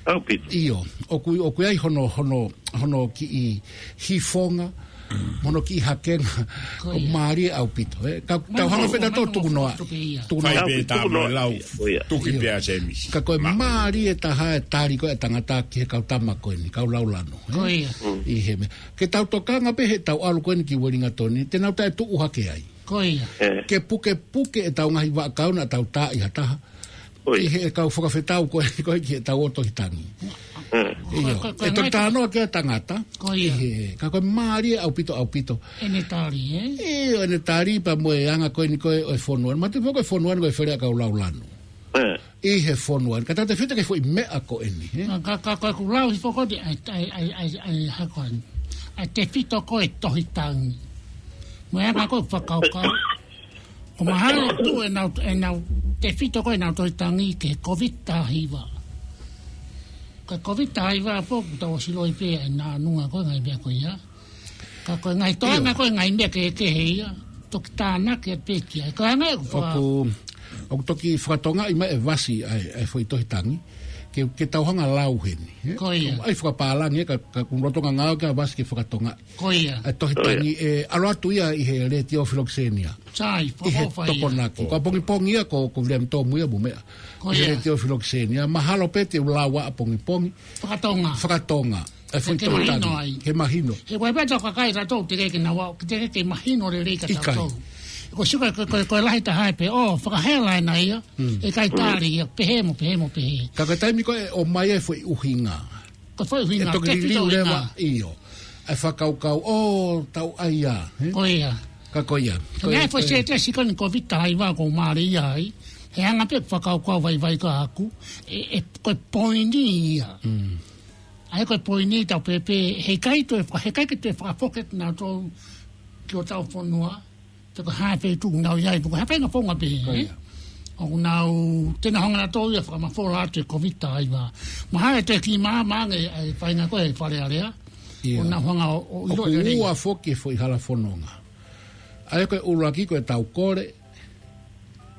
ʻAupito. ʻIo, ʻoku, ʻoku ʻi ai hono, hono, hono kiʻi hifonga, hono kiʻi hakenga, ʻoku mālie ʻaupito, ē? Ka, tau hanga feta tō tuku noa. Tuku noa. Fai pē tā mo e lau, tuki pē ʻa Semisi. Ka ko e mālie taha e tali ko ē e tangata ki he kau tama ko eni, kau laulanu, ē? ʻI he meʻa. Ke tau tokanga pē heʻetau ʻalu ko eni ki Uelingatoni, te nau taʻetuʻu hake ai. Ko ia. Ke pukepuke ʻetau ngaahi vaʻakau naʻa tau tā ʻi ha taha. ʻI he kau fakafetau ko ē, ko ē ki heʻetau ʻOtu Tohi Tangi. ʻIo. Ko, ko, ko, ʻE toki talanoa ki ai e tangata. Ko ia. ʻI he, ka ko e mālie ʻaupito, ʻaupito. ʻEne tali, ē? ʻIo, ʻene tali pea mo e anga ko eni ko ē ʻo e fonua. Ma te foko e fonua ko e fele ʻa kau laulanu. ʻI he fonua. Ka tau tefito ki he foʻi meʻa ko eni, ē? Ka, ka, ka, ka ku lau hifo ko ē ʻa e, ʻa e, ʻa e, ʻa e, ʻa e hako eni. ʻA e tefito ko ē Tohi Tangi. Mo e anga ko ē fakakaukau. ʻOku mahalo ʻoku tuʻu ʻenau, ʻenau tefito ko ē ʻenau Tohi Tangi ki he Kōviti taha hiva. Ka Kōviti taha hiva pō, kuo tau ʻosi loi pē ʻenau nunga ko ē ngaahi meʻa ko ia. Ka ko e ngaahi toenga, ko e ngaahi meʻa kehekehe ia. Toki tānaki atu pē ki ai. Ko e anga ʻoku faka- ʻOku, ʻoku toki fakatongaʻi mai e vasi ʻa e, ʻa e foʻi tohi tangi. Ke, ke tau hanga ʻo lau heni, ē? Ko ia. ʻAi fakapālangi, ē, ka, ka ʻoku lolotonga ngāue ʻa e vasi ke fakatongaʻi. Ko ia. ʻA e tohi tangi, ē, ʻalu atu ia ʻi he Letiō Filokisenia. Sai, ʻi he fakaʻofoʻofa ia. Tokonaki. Ko ʻapongipongi ia ko, ko Viliami Tomu ia mo meʻa. Ko ia. ʻI he Letiō Filokisenia. Mahalo pē te u lau ʻapongipongi. Fakatonga. Fakatonga. ʻA e foʻi tohi tangi. Ke mahino ai. Ke mahino. He ʻoku ʻi ai pē ʻetau kakai ʻatautolu teʻeki ke nau ʻalu, teʻeki ke mahino lelei kia tautolu. ʻIkai. Ko e sio ko e, ko e, ko e lahi taha ia pē, ʻo, fakahela ena ia, ʻikai tali ia, pehē mo, pehē mo, pehē. Ka ko e taimi ko ē ʻoku ʻomai ai e foʻi ʻuhinga. Ko e foʻi ʻuhinga, ʻe toki liliu leva, ʻio. ʻA e fakakaukau, ʻo, tau ʻai ia, ē? Ko ia. Ka ko ia. Ko e foʻi sētesi ko eni Kōviti taha hiva ʻoku ou mālieʻia ai. He anga pē fakakaukau vaivai ko ʻaku, ʻe, ʻe, ko e poini ia. ʻA ia ko e poini tau pehē, he ʻikai toe faka-, he ʻikai ke toe fakafoki atu nautolu ki hotau fonua, pe ko e hā e feituʻu ʻoku nau ʻi ai, pe ko e hā e faʻahinga founga pehē, ē? ʻOku nau, te nau hanga nautolu ia ʻo fakamafola atu e Kōviti taha hiva. Mahalo ʻe toe kiʻi maama ange e faʻahinga ko ē Fale Alea. ʻOku nau hanga ʻo, ʻo ʻilo lelei. ʻOku ua foki e foʻi hala fononga. ʻA ia ko e ʻuluaki ko e tau kole,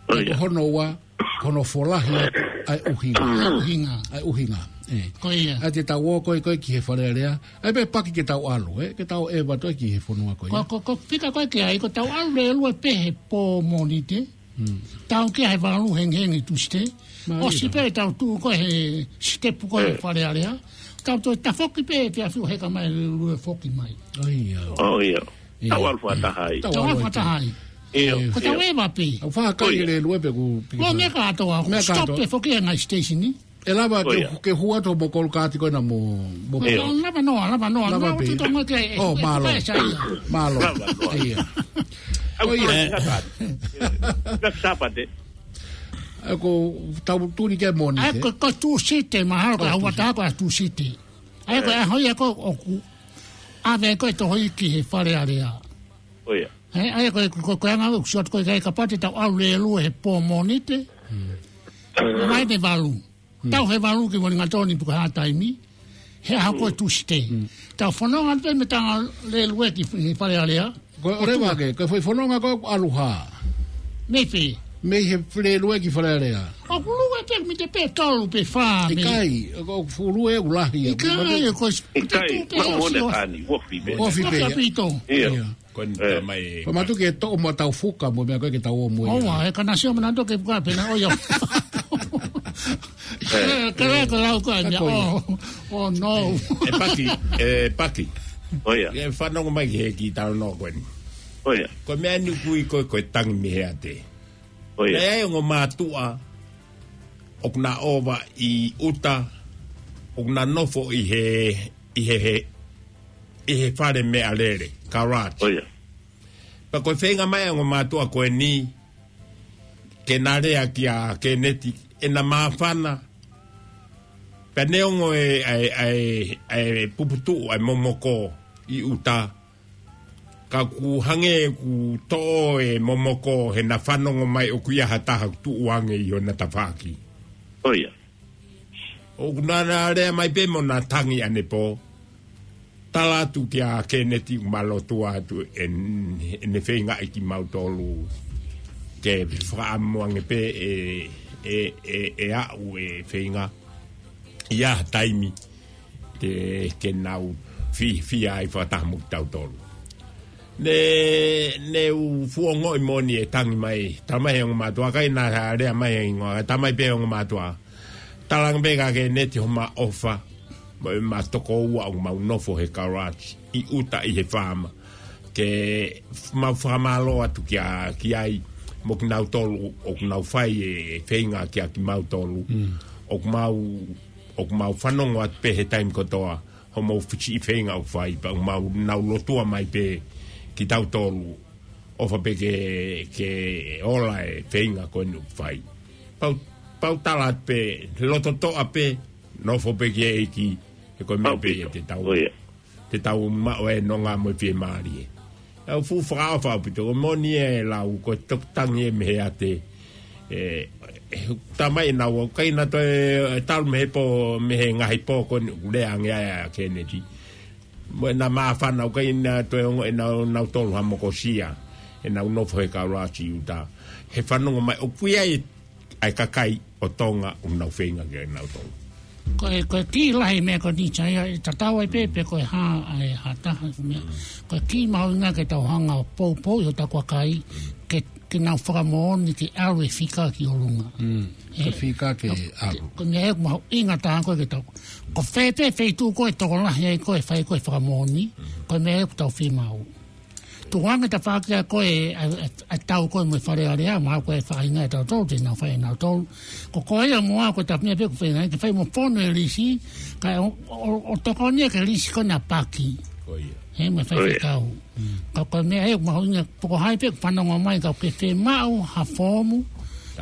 Ko ia. Ko hono ua, ko hono folahi atu ʻa e ʻuhinga. ʻUhinga. ʻA e ʻuhinga, ē. Ko ia. ʻA ia te tau ō ko ē, ko ē ki he Fale Alea. ʻA ia pē paki ke tau ʻalu, ē. Ke tau ʻeva atu ki he fonua ko ia. Ko, ko, ko e fika ko ē ki ai, ko ʻetau ʻalu lēlue pē he pō Mōnite. Tau ki ai he valu hengihengi Tūsite. ʻOsi pē ʻetau tuʻu ko ē he sitepu ko ē he Fale Alea. Tau toe tafoki pē he efiafi ʻo heka mai lēlue foki mai. ʻIo. ʻIo. Tau ʻalu fakataha ai. Tau ʻalu fakataha ai. ʻIo. Ko ʻetau ʻeva pē. ʻOku fakakai lēlue pē ʻoku piki. Ko e meʻa kātoa, ʻoku stop pē foki he ngaahi station ni. ʻE lava ke, ke hū atu mo e kolokāti ko ena mo, mo. Lava noa, lava noa. Lava pē. ʻO, mālō. Mālō. ʻIo. ʻOku tau tuli ki ai Mōnite. ʻA ia ko, ko Tūsite, mahalo ko e ʻaho ʻe taha ko Tūsite. ʻA ia ko e ʻaho ia ko ē ʻoku ʻave ko ē Toho ʻi he Fale Alea. ʻIo. He, ʻa ia ko e, ko, ko e anga ʻoku sio atu ko ē ki ai kapau te tau ʻalu lēlue he pō Mōnite. Mai he valu. Tau he valu ki Uelingatoni pe ko e hā e taimi. He ʻaho ko ē Tūsite. Tau fononga pē mei he tanga lēlue ki he Fale Alea. Ko e ʻoleva ke, ko e foʻi fononga ko ē ʻalu hā. Mei fē? Mei he lēlue ki Fale Alea. ʻOku lue pē mita pē tolu pe fā mei. ʻIkai, ʻoku fuʻu lue ʻoku lahi ia. ʻIkai, ko e. ʻIkai, mita pē tolu, ʻosi pē. ʻOsi pē. ʻIo. Ko eni tā mai. Ko e matu ke toʻo mo tau fuka mo e meʻa ko ē ke tau ō mo ia. ʻOua, he ka na sio manato ke fuka pē na ʻo ia. Ka lea ko lau ko eni. ʻO, ʻo no. ʻE Paki, ʻe Paki. ʻOia. ʻE fanongo mai ki he kiʻi talanoa ko eni. ʻOia. Ko e meʻa ni ʻoku ui ko e, ko e tangi mei he ate. ʻOia. ʻE ʻi ai ongo mātuʻa ʻoku na ʻova ʻi ʻuta, ʻoku na nofo ʻi he, ʻi he, he, ʻi he fale meʻalele, garage. ʻOia. Pea ko e feinga mai ongo mātuʻa ko eni, ke na lea kia Keneti, ʻena māfana. Pea neongo e, ʻa e, ʻa e, ʻa e puputuʻu, ʻa e momoko ʻi ʻuta. Ka ʻoku hangē ʻoku toʻo e momoko he na fanongo mai ʻoku ʻi ai ha taha ʻoku tuʻu ange ʻi hona tafaʻaki. ʻOia. ʻOku na, na lea mai pē mo na tangi ʻanepō. Tala atu kia Keneti ʻoku ma lotua atu ʻen, ʻene feingaʻi kimautolu. Ke fakaʻamu ange pē ʻe, ʻe, ʻe, ʻe aʻu e feinga. ʻI ha taimi. Te ke nau fi, fiefia ai fakataha mo kitautolu. Ne, ne u fuongoʻi moʻoni e tangi mai, tala mai he ongo mātuʻa, ʻikai na lea mai he hingoa, tala mai pē ongo mātuʻa. Tala ange pē kia Keneti homa ʻofa, mo ʻema tokoua ʻoku mau nofo he garage, ʻi ʻuta ʻi he faama. Ke mau fakamālō atu kia, ki ai, mo kinautolu, ʻoku nau fai e feinga kia kimautolu. ʻOku mau ʻoku mau fanongo atu pē he taimi kotoa, hoʻomou fiti feinga ʻoku fai, pea ʻoku mau nau lotua mai pē kitautolu, ʻofa pē ke, ke ola e feinga ko eni ʻoku fai. Pau, pau tala atu pē, loto toʻa pē, nofo pē ki he ʻEiki, he ko e meʻa pē ia te tau. Te tau maʻu e nonga mo e fiemālie. ʻOku fuʻu fakaʻofa ʻaupito, ko e moʻoni e lau, ko e toki tangi ē mei he ate. ʻE, ʻe, tala mai ʻe naua, ʻikai na toe, ʻe talu mei he pō, mei he ngaahi pō ko eni ʻoku lea ange ai ʻa Keneti. Mo e nā māfana ʻoku ʻikai ke nau toe ongo ʻenau, nau tolu ha mokosia. ʻEnau nofo he kaula ʻo Siuta. He fanongo mai ʻoku ʻi ai ʻa e kakai ʻo Tonga ʻoku nau feinga ke nau tolu. Ko e, ko e kī lahi meʻa ko eni Saia, ʻe tatau ai pē, pe ko e hā, ʻa e hā taha ko e meʻa. Ko e kī mahuʻinga ke tau hanga ʻo poupou ʻi hotau kakai, ke, ke nau fakamoʻoni ke ʻalu e fika ki ʻolunga. Mm. Ko e fika ke ʻalu. Ko e meʻa ʻoku mahuʻinga taha ko ē ke tau. Ko fē pē feituʻu ko ē ʻe tokolahi ai ko ē ʻe fai ko ē e fakamoʻoni, ko e meʻa ʻoku tau fiemaʻu. Tukuange tafaʻaki ʻa ko ē, ʻa, ʻa, ʻa tau ko ē mo e Fale Alea, mahalo ko e faʻahinga ʻe tautolu, te nau fai ʻe nautolu. Ko koe ia mo au ko e tapu meʻa pē ʻoku feinga ke fai mo fonu e lisi, kae ʻo, ʻo, ʻo tokoni ia ki he lisi ko ena ʻa Paki. Ko ia. He mo e faifekau. Ko ia. Mm. Ka ko e meʻa ia ʻoku mahuʻinga, pe ko hai pē ʻoku fanongo mai ka ʻoku ke fiemaʻu ha foomu.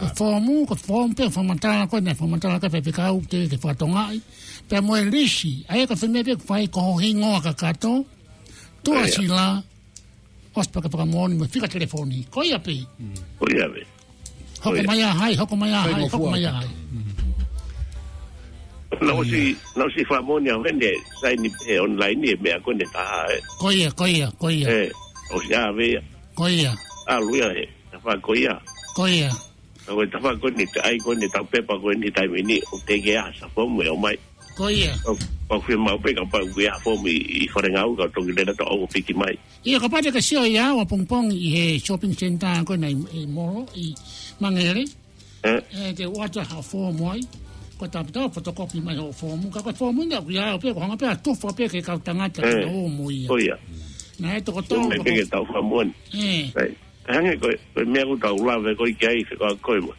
ʻE foomu, ko e foomu pē fakamatala ko ena, fakamatala ki he faifekau, te ke fakatongaʻi. Pea mo e lisi, ʻa ia ko e fē meʻa pē ʻoku fai ko ho hingoa kakato. Tuʻa sila, ʻosi pē ke fakamoʻoni mo e fika telefoni. Ko ia pē. Ko ia pē. Hoko mai ʻa hai, hoko mai ʻa hai, hoko mai ʻa hai. Naʻe ʻosi, naʻe ʻosi fakamoʻoni au heni, saini he online e meʻa ko ena taha, ē. Ko ia, ko ia, ko ia. Ē, ʻosi ʻave ia. Ko ia. ʻAlu ia he, tafa ko ia. Ko ia. Ka ko e tafa ko eni, ʻai ko eni, tau pepa ko eni, taimi ni, ʻoku teʻeki ai ha foomu ʻe ʻomai. Ko ia. ʻOku, ʻoku fiemaʻu pē kapau ʻoku ʻi ai ha foomu ʻi, ʻi Falengaue ka toki lele atu ʻo piki mai. ʻIo, kapau te ke sio ia ʻapongipongi ʻi he shopping center ko ena ʻi, ʻi Molo, ʻi Mangere. Ē? Ē, te u ʻoatu ha foomu ai. Ko e tapu tau fotokopi mai ho foomu. Ka ko e foomu ʻoku ʻi ai pē, ko e hanga pē ʻo tufa pē ki he kau tangata ke nau ō mo ia. Ko ia. Naʻe toko tolu mai pē ke tau fakamoʻoni. Ē. Right. Ka hangē ko e, ko e meʻa ʻoku tau lave ko ē ki ai, fekau ko ē mo.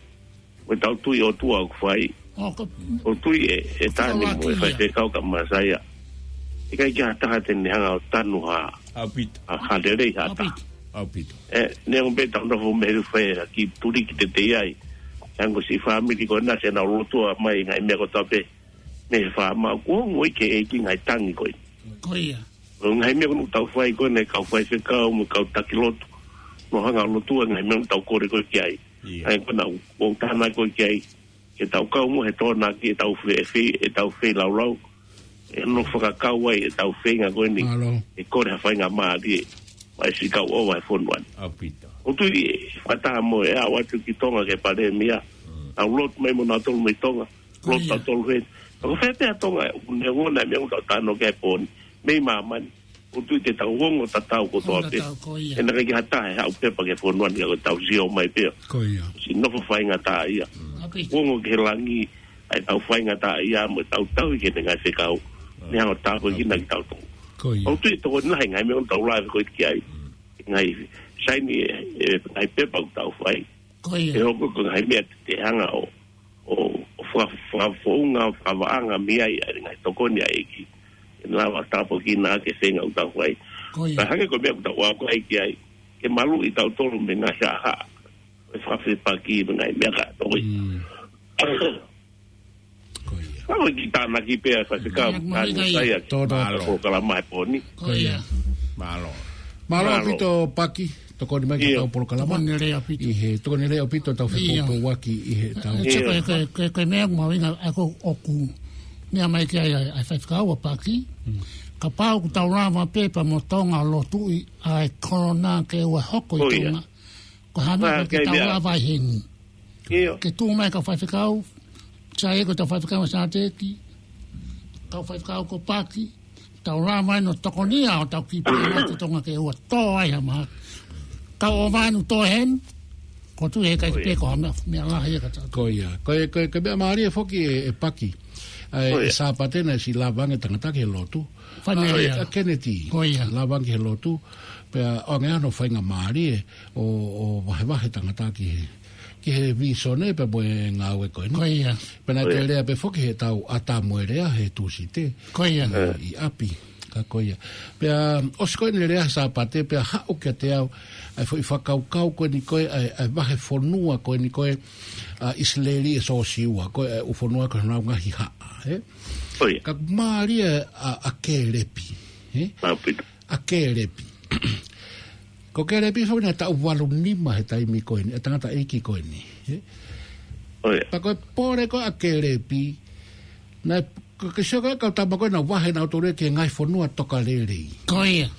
Ko ʻetau tui ʻOtua ʻoku fai. ʻO tui ʻe, ʻe Tani mo e faifekau ka Masaia. ʻIkai ke ʻi ai ha taha te ne hanga ʻo tanu ha, ha lelei ha taha. ʻAupito. Ē, neongo pē ʻetau nofo mei he fai ha kiʻi tuliki teitei ai. Hangē ko siʻi fāmili ko ena te nau lotua mai ngaahi meʻa kotoa pē. Mei he faama ʻoku ongo ʻi he ʻEiki ngaahi tangi ko ē. Ko ia. ʻO ngaahi meʻa ko ena ʻoku tau fai ko ena ʻe kau faifekau mo e kau taki lotu. Nau hanga ʻo lotua ngaahi meʻa ʻoku tau kole ko ē ki ai. ʻIo. ʻA ia ko ena ʻoku ou tānaki ko ē ki ai. Ke tau kau mo e tōnaki ʻetau fe-, fe-, ʻetau feilaulau. ʻE nofo fakakau ai ʻetau feinga ko eni. Mālō. ʻE kole ha faingamālie. Mai siʻi kau ʻova he fonua ni. ʻAupito. ʻOku ou tui ʻe fakataha mo e aʻu atu ki Tonga ki he palēmia. Mm. Tau lotu mai mo nautolu mei Tonga. Ko ia. Lotu tautolu he. Ka ko fē pē ʻa Tonga, ʻoku ne ongona e meʻa ʻoku tau talanoa ki ai he pō ni. Mei māmani. ʻOku ou tui te tau ongo tatau kotoa pē. Ongo tatau, ko ia. ʻE naʻe ʻikai ke ʻi ai ha taha ʻe haʻu pepa ki he fonua ni ka ko ʻetau sio mai pē. Ko ia. Siʻi nofo faingataʻaʻia. Mm. ʻAupito. Ongo ki he langi, ʻa ʻetau faingataʻaʻia mo ʻetau tauhi ki heʻene ngaahi fekau. Mm. Ne hanga ʻo tāpuekina kitautolu. Ko ia. ʻOku ou tui ʻe tokoni lahi ngaahi meʻa ʻoku tau lave ko ē ki ai. Mm. Ngaahi saini e, e, ngaahi pepa ʻoku tau fai. Ko ia. ʻE hoko ko e ngaahi meʻa te, te hanga ʻo, ʻo, ʻo faka-, fakafounga, fakavaʻanga mei ai, ʻa e ngaahi tokoni ʻa e ʻEiki. ʻE lava tāpuekina ʻa e feinga ʻoku tau fai. Ko ia. Ka hangē ko e meʻa ʻoku tau ako ai ki ai. Ke maluʻi tautolu mei he ngaahi haʻahaʻa. ʻE fakafepaki mei he ngaahi meʻa ka tokoi. Mm. Ko ia. Ka ko e kiʻi tānaki pē ʻa e faifekau, Mālō, Mālō, Masaia, Tō, tō. Mālō. Ko e kalama he pō ni. Ko ia. Mālō. Mālō Mālō. ʻAupito Paki, tokoni mai ki he ʻIo. ʻetau polokalama. Tokoni lelei ʻaupito. ʻI he tokoni lelei ʻaupito ʻetau ʻIo. fepōpoaki ʻi heʻetau ʻIo. Ko e, ko e, ko e, ko e meʻa mahuʻinga ʻa ē ʻoku meʻa mai ki ai ʻa e, ʻa e faifekau ʻa Paki. Mm. Kapau ʻoku tau lava pē pea mo Tonga ʻo lotuʻi ʻa e kolona ke ʻoua ʻe hoko ʻi Ko ia. Tonga. Ko e hā e meʻa Pā, ʻoku ke tau meʻa. lava ai heni. ʻIo. Ke tuʻu mai kau faifekau, Saia ko e tau faifekau ʻa Sateki, kau faifekau ko Paki, tau lava ai ʻo tokoni ʻo tau kiʻi pē ʻa Tonga ke ʻoua ʻe tō ai ha mahaki. Kau ʻo vanu tō heni, ʻoku ou tui ʻe ʻikai ke Ko ia. pē ko ha meʻa, meʻa lahi ia ka tau. Ko ia. Ko e, ko e, ko e meʻa mālie foki ʻe, ʻe Paki. ʻA e, Ko ia. ʻe Sāpate naʻe siʻi lava ange tangata ki he lotu. Fāmili ʻA, ia. ʻa Kennedy. Ko ia. Lava ange ki he lotu. Pea ʻoange hono faingamālie ʻo, ʻo vahevahe tangata ki he, ki he vīsone pea mo e ngāue ko eni. Ko ia. Pea naʻe Ko ia. toe lea pē foki heʻetau ʻatā mo e lea he Tūsite. Ko ia. ʻI, ʻi ʻapi. Ka ko ia. Pea ʻosi ko eni e lea he Sāpate pea haʻu kiate au ʻa e foʻi fakakaukau ko eni ko ē, ʻa e, ʻa e vahefonua ko eni ko ē, ʻa ʻIsileli ʻe Sōsiua, ko e, ʻa e ʻū fonua ko ē honau ngaahi haʻa, ē? Ko ia. Ka mālie ʻa, ʻa Kēlepi, ē? Māpito. ʻA Kēlepi. Ko Kēlepi foki naʻe taʻu valu nima he taimi ko eni, ʻa e tangataʻeiki ko eni, ē? Ko ia. Pea ko e pole ko ē ʻa Kēlepi, naʻe ko e ke sio ko e kau tama ko ē naʻa nau vahe nautolu ia ki he ngaahi fonua tokalelei. Ko ia.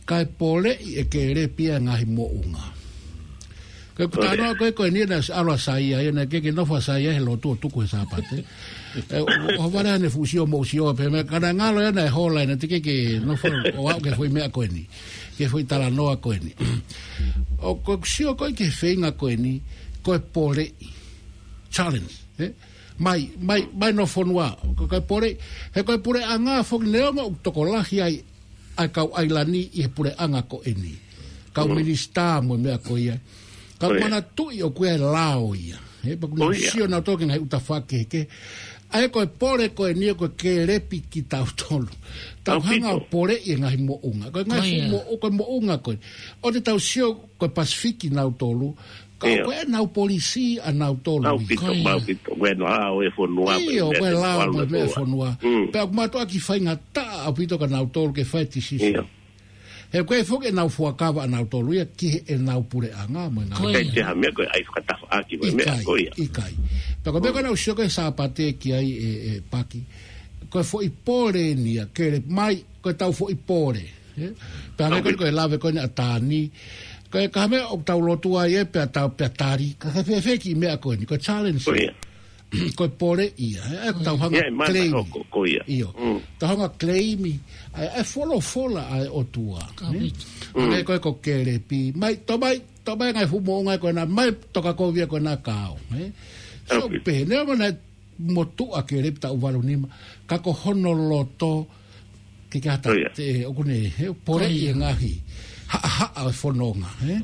Kae poleʻi ʻe Kelepi ʻa e ngaahi moʻunga. Ko e kuta noa ko ē ko eni naʻe ʻalu ʻa Saia ia, naʻe ʻikai ke nofo ʻa Saia he lotu ʻo tuku he Sāpate. ʻE, ʻo, ʻo vale ʻene fuʻu sio mo sio pē meʻa, ka naʻe ngalo ia naʻe hola ʻena, teʻeki ke nofo ʻo aʻu ki he foʻi meʻa ko eni, ki he foʻi talanoa ko eni. ʻO ko e sio ko ē ki he feinga ko eni, ko e poleʻi. Challenge, ē? Mai, mai, mai ʻi ho fonua, ko e kau poleʻi, he ko e puleʻanga foki neongo ʻoku tokolahi ai ʻa e kau ʻailani ʻi he puleʻanga ko eni. Kau minisitā mo e meʻa ko ia. Kau manatuʻi ʻoku ʻi ai e lao ia. He pea ʻoku nau sio nautolu ki he ngaahi ʻuta fakehekehe. ʻA ia ko e pole ko eni ko e Kelepi kitautolu. Tau hanga ʻo poleʻi e ngaahi moʻunga. Ko e ngaahi fuʻu moʻu, ko e moʻunga ko ē. ʻOku tau sio ko e Pasifiki nautolu. Ka ko ʻenau polisi ʻanautolu. ʻAupito, ʻaupito. Ko e lao e fonua, ʻio, ko e lao mo e meʻa e fonua. Pea ʻoku mātuʻaki faingataʻa ʻaupito kia nautolu ke fai e tisisi. He ko e foki ʻenau fuakava ʻanautolu ia ki heʻenau puleʻanga mo e ngaahi. Ko ia. Kei te ha meʻa ko e ʻai fakatafaʻaki mo e meʻa ko ia. ʻIkai. Pea ko e meʻa ko ē naʻa ku sio ko ē Sāpate ki ai ē, ē Paki. Ko e foʻi pole eni ia, Kelepi mai, ko e tau foʻi pole. Ē? Pea meʻa ko ē ko e lave ko eni ʻa Tani. Ko e ka meʻa ʻoku tau lotu ai ē pea tau pea tali. Ka ke fēfē ki he meʻa ko eni, ko e challenge. Ko e pole ia, ē, ʻoku tau hanga claim. ʻIo. Tau hanga claim ʻa e, ʻa e folofola ʻa e ʻOtua. Ē? ʻA e ko e ko Kelepi. Mai, tō mai, tō mai ngaahi fuʻu moʻunga ko ena, mai toka kovia ko ena kao. Ē? So, pehē, neongo naʻe motuʻa Kelepi taʻu valu nima, ka ko hono loto, ke ke hata te, ʻoku ne, he poleʻi e ngaahi haʻahaʻa ʻo e fononga, ē?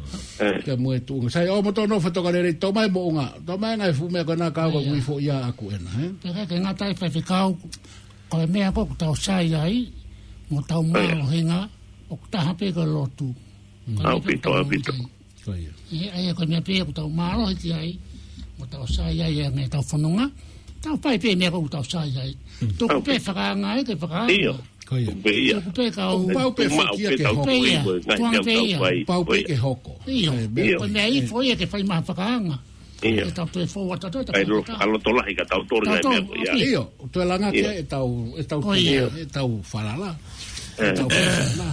Pea mo e tuʻunga. Sai, ʻo mo tō nofo tokalelei, tō mai moʻunga, tō mai ngaahi fuʻu meʻa ko ena kao ko e ui foʻi ia ʻaku ena, ē? Pea ke ngata ai faifekau, ko e meʻa ko ē ʻoku tau sai ai, mo tau mālohinga, ʻoku taha pē ko e lotu. Ko e meʻa pē ʻoku tau ʻaupito. Ko ia. ʻA ia ko e meʻa pē ʻoku tau mālohi ki ai, mo tau sai ai ʻa e meʻa tau fononga, tau fai pē meʻa ko ē ʻoku tau sai ai. Tuku pē fakaanga ai ke fakaanga. ʻIo. Ko ia. Tuku pē kau. Pau pē foki ia ke hoko. Pē ia. Tuanga pē ia. Pau pē ke hoko. ʻIo. Ko e meʻa ifo ia ke fai mai ha fakaanga. ʻIo. Ke tau toe fou atu atu, tau fou atu. ʻA e loto lahi kia tautolu ngaahi meʻa ko ia. ʻIo. Toe langa ki ai ʻetau, ʻetau, ʻetau falala. ʻEtau falala.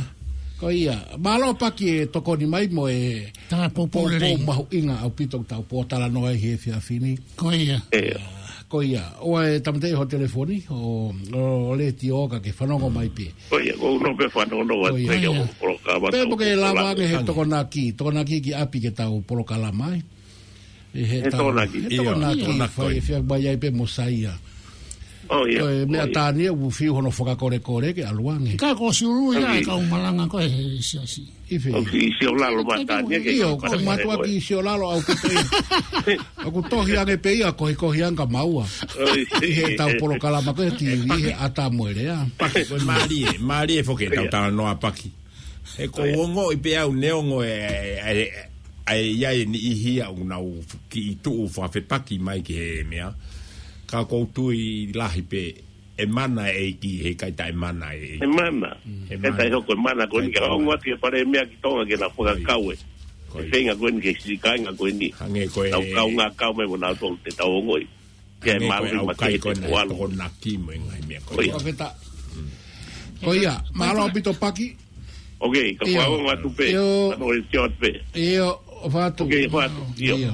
Ko ia. Mālō Paki e tokoni mai mo e poupou mahuʻinga ʻaupito ʻoku tau pōtalanoa ai he efiafi ni. Ko ia. Ko ia. ʻOua ʻe tāmateʻi ho telefoni, ʻo, ʻo letiō ka ke fanongo mai pē. Ko ia, ko hono pē fanongo atu pē ki hoʻo polokalama. Pea mo ke lava ange he tokonaki, tokonaki ki ʻapi ke tau polokalama ai. ʻI he tokonaki. He tokonaki, fai e fia mai ai pē mo Saia. Ko e meʻa Tani ʻoku fiu hono fakakolekole ke ʻalu ange. Ka ko Siulu ia e kau malanga ko ē he siasi. ʻIo, ko mātuʻaki Siolalo ʻaupito. ʻOku tohi ange pē ia, kohikohi ange ka maua. ʻI heʻetau polokalama ko ē he TV, he ʻata mo e lea. Paki, ko e mālie, mālie foki ʻetau talanoa Paki. He ʻoku ou ongoʻi pē au neongo e, e, e, ʻa e ʻi ai e niʻihi ia ʻoku nau kiʻi tuʻu fakafepaki mai ki he meʻa. Ka ʻoku ou tui lahi pē ʻe mana e ʻEiki, heʻikai taʻemana e ʻEiki. ʻE mana. ʻE mana. He taʻe hoko e mana ko eni ka ongo atu e pale meʻa ki Tonga ke na fakakau e. Ko e feinga ko eni ki he siʻi kāinga ko eni. Hangē ko e nau kau ngā kau mai mo nau tolu te tau ongoʻi. Ke hangē ko e mālō ʻaukai ko ena e tokonaki mo e ngaahi meʻa ko ia. Ko ia, mālō ʻaupito Paki. ʻOkei, ka fakaongo atu pē. ʻIo. Ano e tio atu pē. ʻIo, ʻofa atu. ʻOkei, ʻofa atu. ʻIo.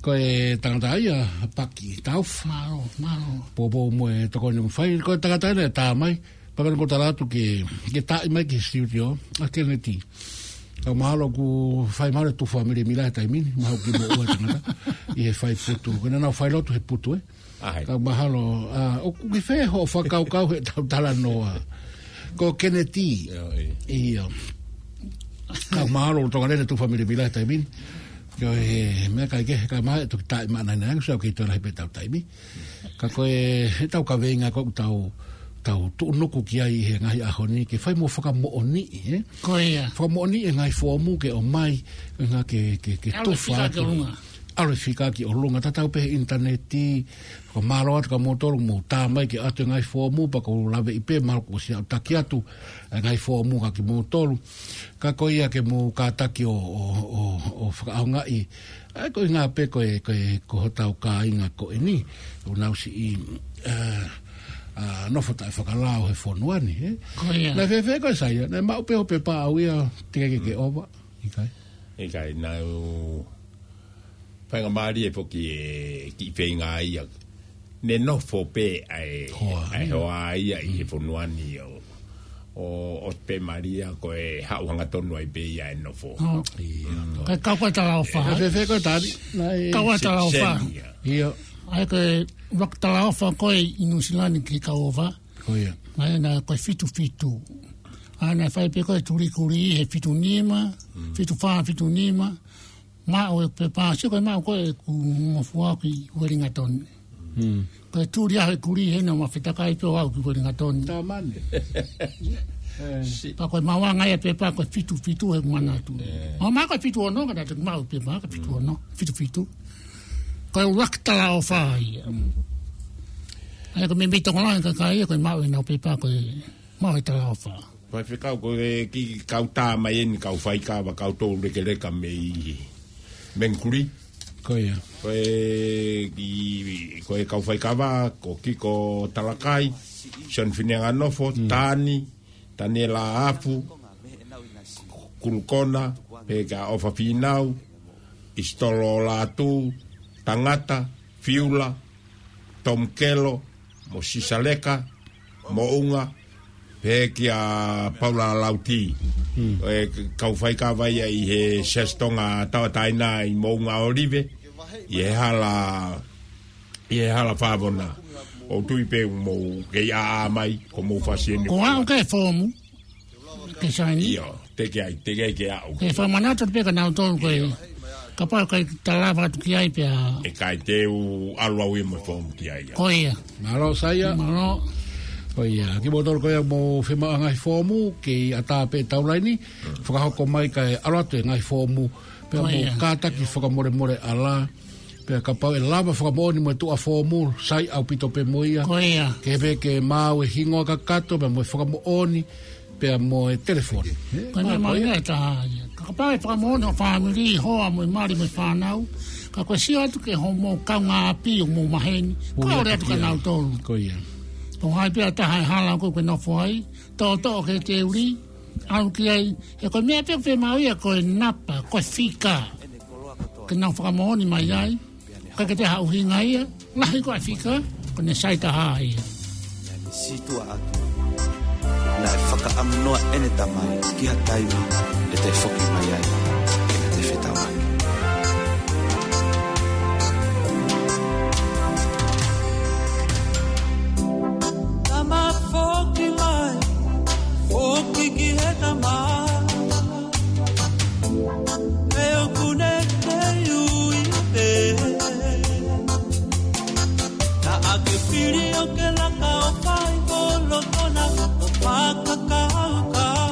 Ko e tangata ia, Paki Taufa. Mālō, mālō. Poupou mo e tokoni ʻoku fai. Ko e tangata ia naʻe tā mai. Pea ko ʻeku tala atu ke, ke taaʻi mai ki he studio, ʻa Keneti. Kau mahalo ʻoku fai mahalo e tufa mili mila he taimi ni, mahalo ʻoku kiʻi moʻua e tangata, ʻi he fai putu. Ko ʻena nau fai lotu he putu, ē? Kau mahalo, ʻa, ʻoku ke fē hoʻo fakakaukau heʻetau talanoa. Ko Keneti. ʻIo. Kau mahalo ʻoku toka lele tufa mili mila he taimi ni. Ko e meʻa kai ke, kau mahalo ʻe toki taaʻi mai ʻanai nai, so ʻoku kei toe lahi pē ʻetau taimi. Ka ko e, heʻetau kaveinga ko ē ʻoku tau, tau tuʻunuku ki ai he ngaahi ʻaho ni, ke fai mo fakamoʻoniʻi, ē? Ko ia. Fakamoʻoniʻi e ngaahi foomu ke ʻomai, ngā ke, ke, ke tufa atu. ʻAlu e fika ki ʻolunga, tatau pē he ʻinitaneti, fakamālō atu kia moutolu, mou tā mai ke ʻoatu e ngaahi foomu, pea ʻoku ou laveʻi pē, mahalo kuo ʻosi aʻutaki atu, e ngaahi foomu kia moutolu. Ka ko ia ke mou kātaki ʻo, ʻo, ʻo, ʻo fakaʻaongaʻi, ʻa e ko e ngā pē ko e, ko e, ko hotau kāinga ko eni, ʻoku nau siʻi, ā, ʻa, nofo taʻefakalao he fonua ni, ē? Ko ia. Naʻe fēfē koe Saia, naʻe maʻu pē hoʻo pepa ʻau ia, teʻeki ke ke ʻova, ʻikai? ʻIkai, naʻe u faingamālie foki e kiʻi feinga ia. Ne nofo pē ʻa e hoa, ʻa e hoa ia ʻi he fonua ni ʻo, ʻo, ʻo pē mālie ko e haʻu hangatonu ai pē ia e nofo. ʻO. Ia. Ko e kau ko e talaʻofa, ē? Fēfē koe Tali? Naʻe kau ko e talaʻofa. Seni ia. Ia. ʻA ia ko e ʻuluaki talaʻofa ko ē ʻi Nuʻu Sila ni ke kau ʻova. Ko ia. Naʻe, naʻe ko e fitu fitu. ʻA ia naʻe fai pē ko e tulikuli he fitu nima, fitu fā, fitu nima. Maʻu e pepa, sio ko e maʻu ko ē ʻeku ngofua ki Uelingatoni. Ko e tuli ʻa e kuli hena ma fetakai pē ʻo aʻu ki Uelingatoni. Tamani. Pea ko e maʻu ange ia e pepa ko e fitu fitu he manatu. ʻO maʻu ko e fitu ono, ka naʻe maʻu e pepa ko e fitu ono, fitu fitu. Ko e ʻuluaki talaʻofa ia. ʻA ia ko e meimei tokolahi e kakai ia ko e maʻu ʻenau pepa ko e maʻu e talaʻofa. Faifekau, ko e kiʻi kau tā mai eni, kau faikava, kau tau lekeleka mei Mengkuli. Ko ia. Ko e kiʻi, ko e kau faikava, ko Kiko Talakai, Sione Fineanganofo, Tani, Taniela Afu, Kulukona, pea kia ʻOfa Finau, ʻIsitolo Lātū, Tangata, Fiula, Tom Kelo, mo Sisaleka, Moʻunga, pea kia Paula Lauti. ʻE kau faikava ia ʻi he Siasi Tonga Tauʻatāina ʻi Moʻunga ʻOlive, ʻi he hala, ʻi he hala Favona. ʻOku ou tui pē ʻoku mou kei ʻāʻā mai, ko mou fasi eni. Ko au ke fomu. Ke saini. ʻIo, teʻeki ai, teʻeki ai ke aʻu. Ke fakamanatu pē kia nautolu ko ē. Kapau ʻe ʻikai te ta lava atu ki ai pea. ʻE ʻikai te u ʻalu au ia mo e fomu ki ai. Ko ia. Mālō Saia. Mālō. Ko ia. Kimoutolu ko ē ʻoku mou fiemaʻu ha ngaahi fomu, kei ʻatā pē taulaini. Fakahoko mai kae ʻalu atu e ngaahi fomu. Pea mou kātaki fakamolemole ʻalā. Pea kapau ʻe lava fakamoʻoni mo e tuʻa fomu, sai ʻaupito pē mo ia. Ko ia. Ke pē ke maʻu e hingoa kakato, pea mo e fakamoʻoni, pea mo e telefoni. Ko e meʻa mālie ia. Ka kapau ʻe fakamoʻoni ho fāmili, hoa mo e mali mo e fānau, ka ko e sio atu ki hoʻomou kaungāʻapi ʻoku mou maheni, kole atu kia nautolu. Ko ia. Ko hai pē ha taha ʻe hala ko ē ʻoku ke nofo ai, toʻotoʻo ke ke uli, ʻalu ki ai, he ko e meʻa pē ʻoku fiemaʻu ia ko e napa, ko e fika. Ke nau fakamoʻoni mai ai, ʻikai ke toe ha ʻuhinga ia, lahi ko e fika, ko ʻene sai taha ia. Naʻe sītuʻa atu. Naʻe fakaʻamu noa ʻene tamai ki ha taimi ʻe toe foki mai ai, ke na toe fetaulaki. Tama foki mai, foki ki he tama. He ʻoku ne kei ui pē. Naʻa ke fili ʻo ke laka ʻo fai kolokona ʻo fakakaukau.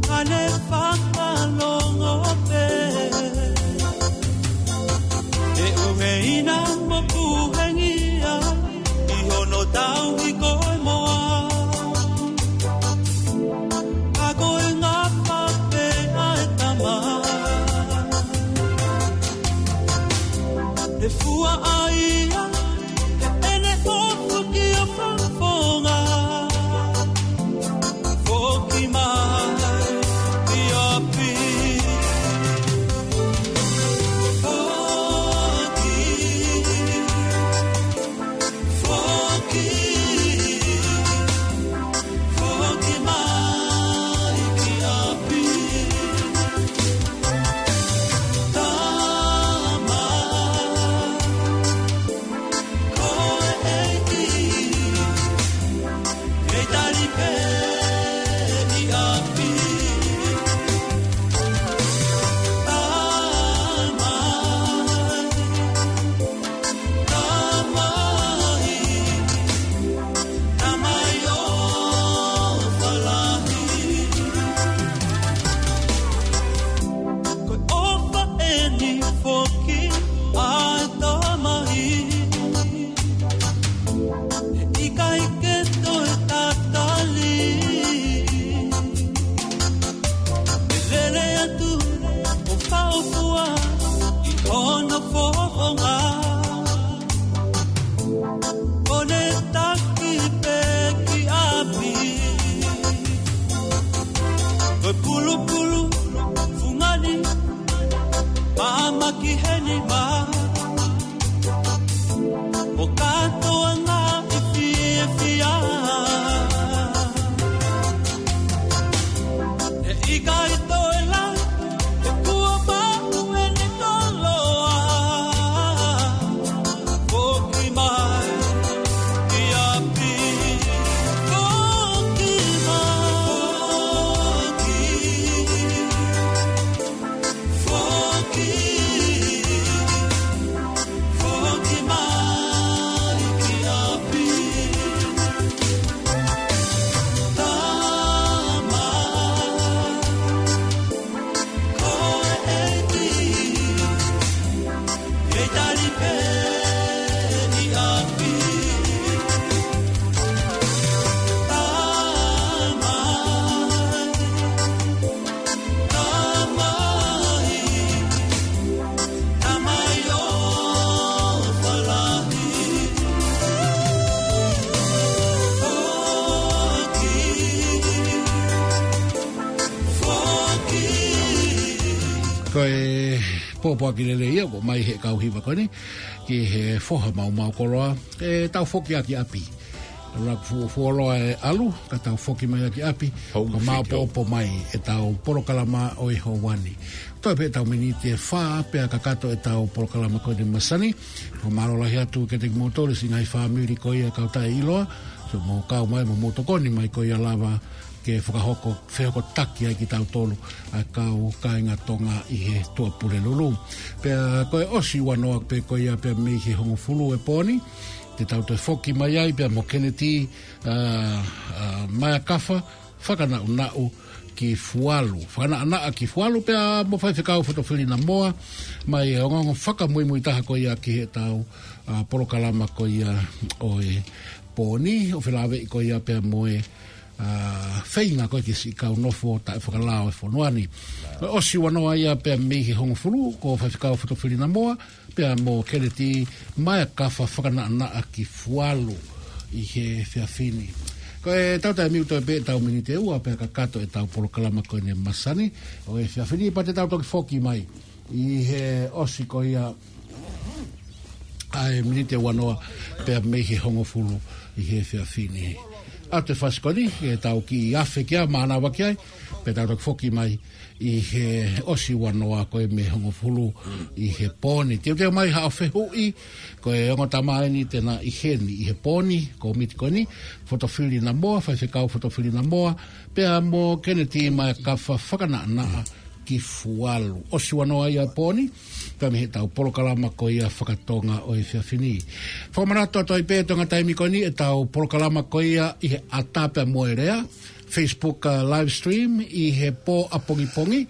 Ka ne fakalongo pē. ʻE ʻuheina mo kuhengia ʻi hono tauhi ko e moa. Ka ko e ngapa pē ʻa e tama. ʻE fua ʻa ia, ʻe ʻene ʻofa ki ʻo fakafofonga. Foki mai ki ʻapi. Foki. Foki, foki mai ki ʻapi. Tama, ko e ʻEiki, kei tali pē ki ʻapi. Tama, Tamai, Tamai ʻofa lahi. Ko e ʻofa eni foki ʻa e Tamai. He ʻikai ke toe tatali. ʻE lele atu ʻo fakaʻofoʻofa ʻi hono fofonga. Pulupulu, fungani, māmā ki heni mā. ʻO kātoa ngā fiefia. He ʻikai toe lahi, he kuo maʻu eni koloa. Foki mai ki ʻapi. Foki mai. Foki. Foki mai ki ʻapi. Tamai. Ko e ʻEiki. Kei tali pē ʻi ʻapi. Tamai, Tamai, Tamai ʻofa lahi. Foki, foki. Ko e pōpoaki lelei ia ʻoku ʻomai he kau hiva ko eni, ki he foha maumau koloa, ʻe tau foki ʻaki ʻapi. Laku fuo fuoloa e ʻalu, ka tau foki mai ʻaki ʻapi, Home ko e maopoopo mai ʻetau polokalama ʻo e houa ni. Toe pē ʻetau miniti ʻe fā pea kakato ʻetau polokalama ko eni masani. Ko e mālō lahi atu kiate kimoutolu siʻi ngaahi fāmili ko ia kau taʻeʻiloa, so mou kau mai mo mou tokoni mai ko ia lava ke fakahoko, fehokotaki ai kitautolu ʻa e kau kāinga Tonga ʻi he Tuʻapulelulu. Pea ko e ʻosi ua noa pē ko ia pea mei he hongofulu e pō ni, te tau toe foki mai ai pea mo Keneti, ʻa, ʻa, Maekafa Fakanaʻunaʻu ki Fualu. Fakanaʻanaʻa ki Fualu pea mo Faifekau Fotofili Namoa, mai e ongoongo fakamuimui taha ko ia ki heʻetau, ʻa, polokalama ko ia ʻo e pō ni, ʻo felāveʻi ko ia pea mo e ʻa, feinga ko ē ki he siʻi kau nofo taʻefakalao e fonua ni. Ko e ʻosi ua noa ia pea mei he hongofulu, ko Faifekau Fotofili Namoa, pea mo Keneti Maekafa Fakanaʻanaʻa ki Fualu ʻi he efiafi ni. Ko e tau taimi ʻoku toe pē ʻetau miniti ʻe ua pea kakato ʻetau polokalama ko eni masani ʻo e efiafi ni pea te tau toki foki mai ʻi he ʻosi ko ia ʻa e miniti ʻe ua noa pea mei he hongofulu ʻi he efiafi ni. ʻA e fasi ko eni, ke tau kiʻi afe ki ai, mānava ki ai, pea tau toki foki mai ʻi he ʻosi ua noa ko ē mei he hongofulu ʻi he pō ni. Teuteu mai haʻo fehuʻi, ko e ongo tama eni te na ʻi heni ʻi he pō ni, kōmiti ko eni, Fotofili Namoa, Faifekau Fotofili Namoa, pea mo Keneti Maekafa Fakanaʻanaʻa ki Fualu. ʻOsi ua noa ia pō ni, pea mei heʻetau polokalama ko ia fakatonga ʻo e efiafi ni. Fakamanatu atu ai pē ʻi he taimi ko eni ʻetau polokalama ko ia ʻi he ʻAta pea mo e Lea, Facebook, ʻa, live stream ʻi he pō ʻapongipongi,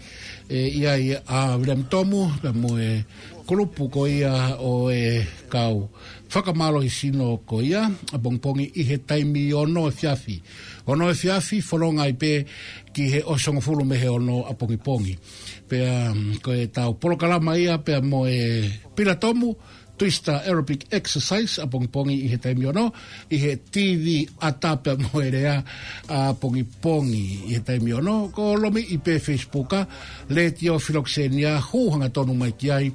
ʻe ʻi ai ʻa William Tomu, pea mo e kulupu ko ia ʻo e kau fakamālohisino ko ia, ʻapongipongi ʻi he taimi ono efiafi. Ono efiafi, fononga ai pē ki he ʻosi hongofulu mei he ono ʻapongipongi. Pea, mm, ko ʻetau polokalama ia, pea mo e Pila Tomu, Twister Aerobic Exercise, ʻapongipongi ʻi he taimi ono, ʻi he TV ʻAta pea mo e Lea, ʻapongipongi ʻi he taimi ono, ko e lomiʻi pē Facebook, ʻa, Letiō Filokisenia, hū hangatonu mai ki ai,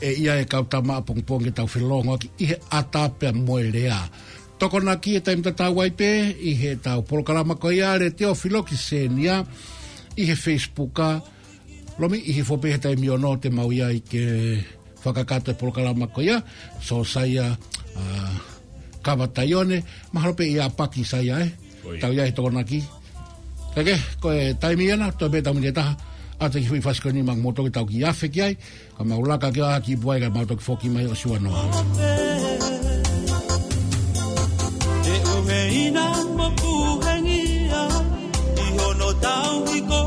ʻe ʻi ai e kau tama ʻapongipongi ke tau felongoaki ʻi he ʻAta pea mo e Lea. Tokonaki e taimi tatau ai pē ʻi heʻetau polokalama ko ia Letiō Filokisenia ʻi he Facebook, ʻa, lomiʻi hifo pē he taimi ono te mau ʻi ai ke fakakakato e polokalama ko ia, Sōsaia, ʻa, Kava Taione, mahalo pē ʻe ʻapaki Saia, ē? ʻOi. Tau ʻi ai he Tokonaki. Kae kehe, ko e taimi ena, toe pē ʻetau miniti ʻe taha, ʻa e kiʻi foʻi fasi ko eni maʻa kimoutolu ke tau kiʻi afe ki ai, ka mau laka ke ʻalu ki puai ka mau toki foki mai ʻosi ua noa. Te uhe ina mo puhengia, ʻi hono tau hiko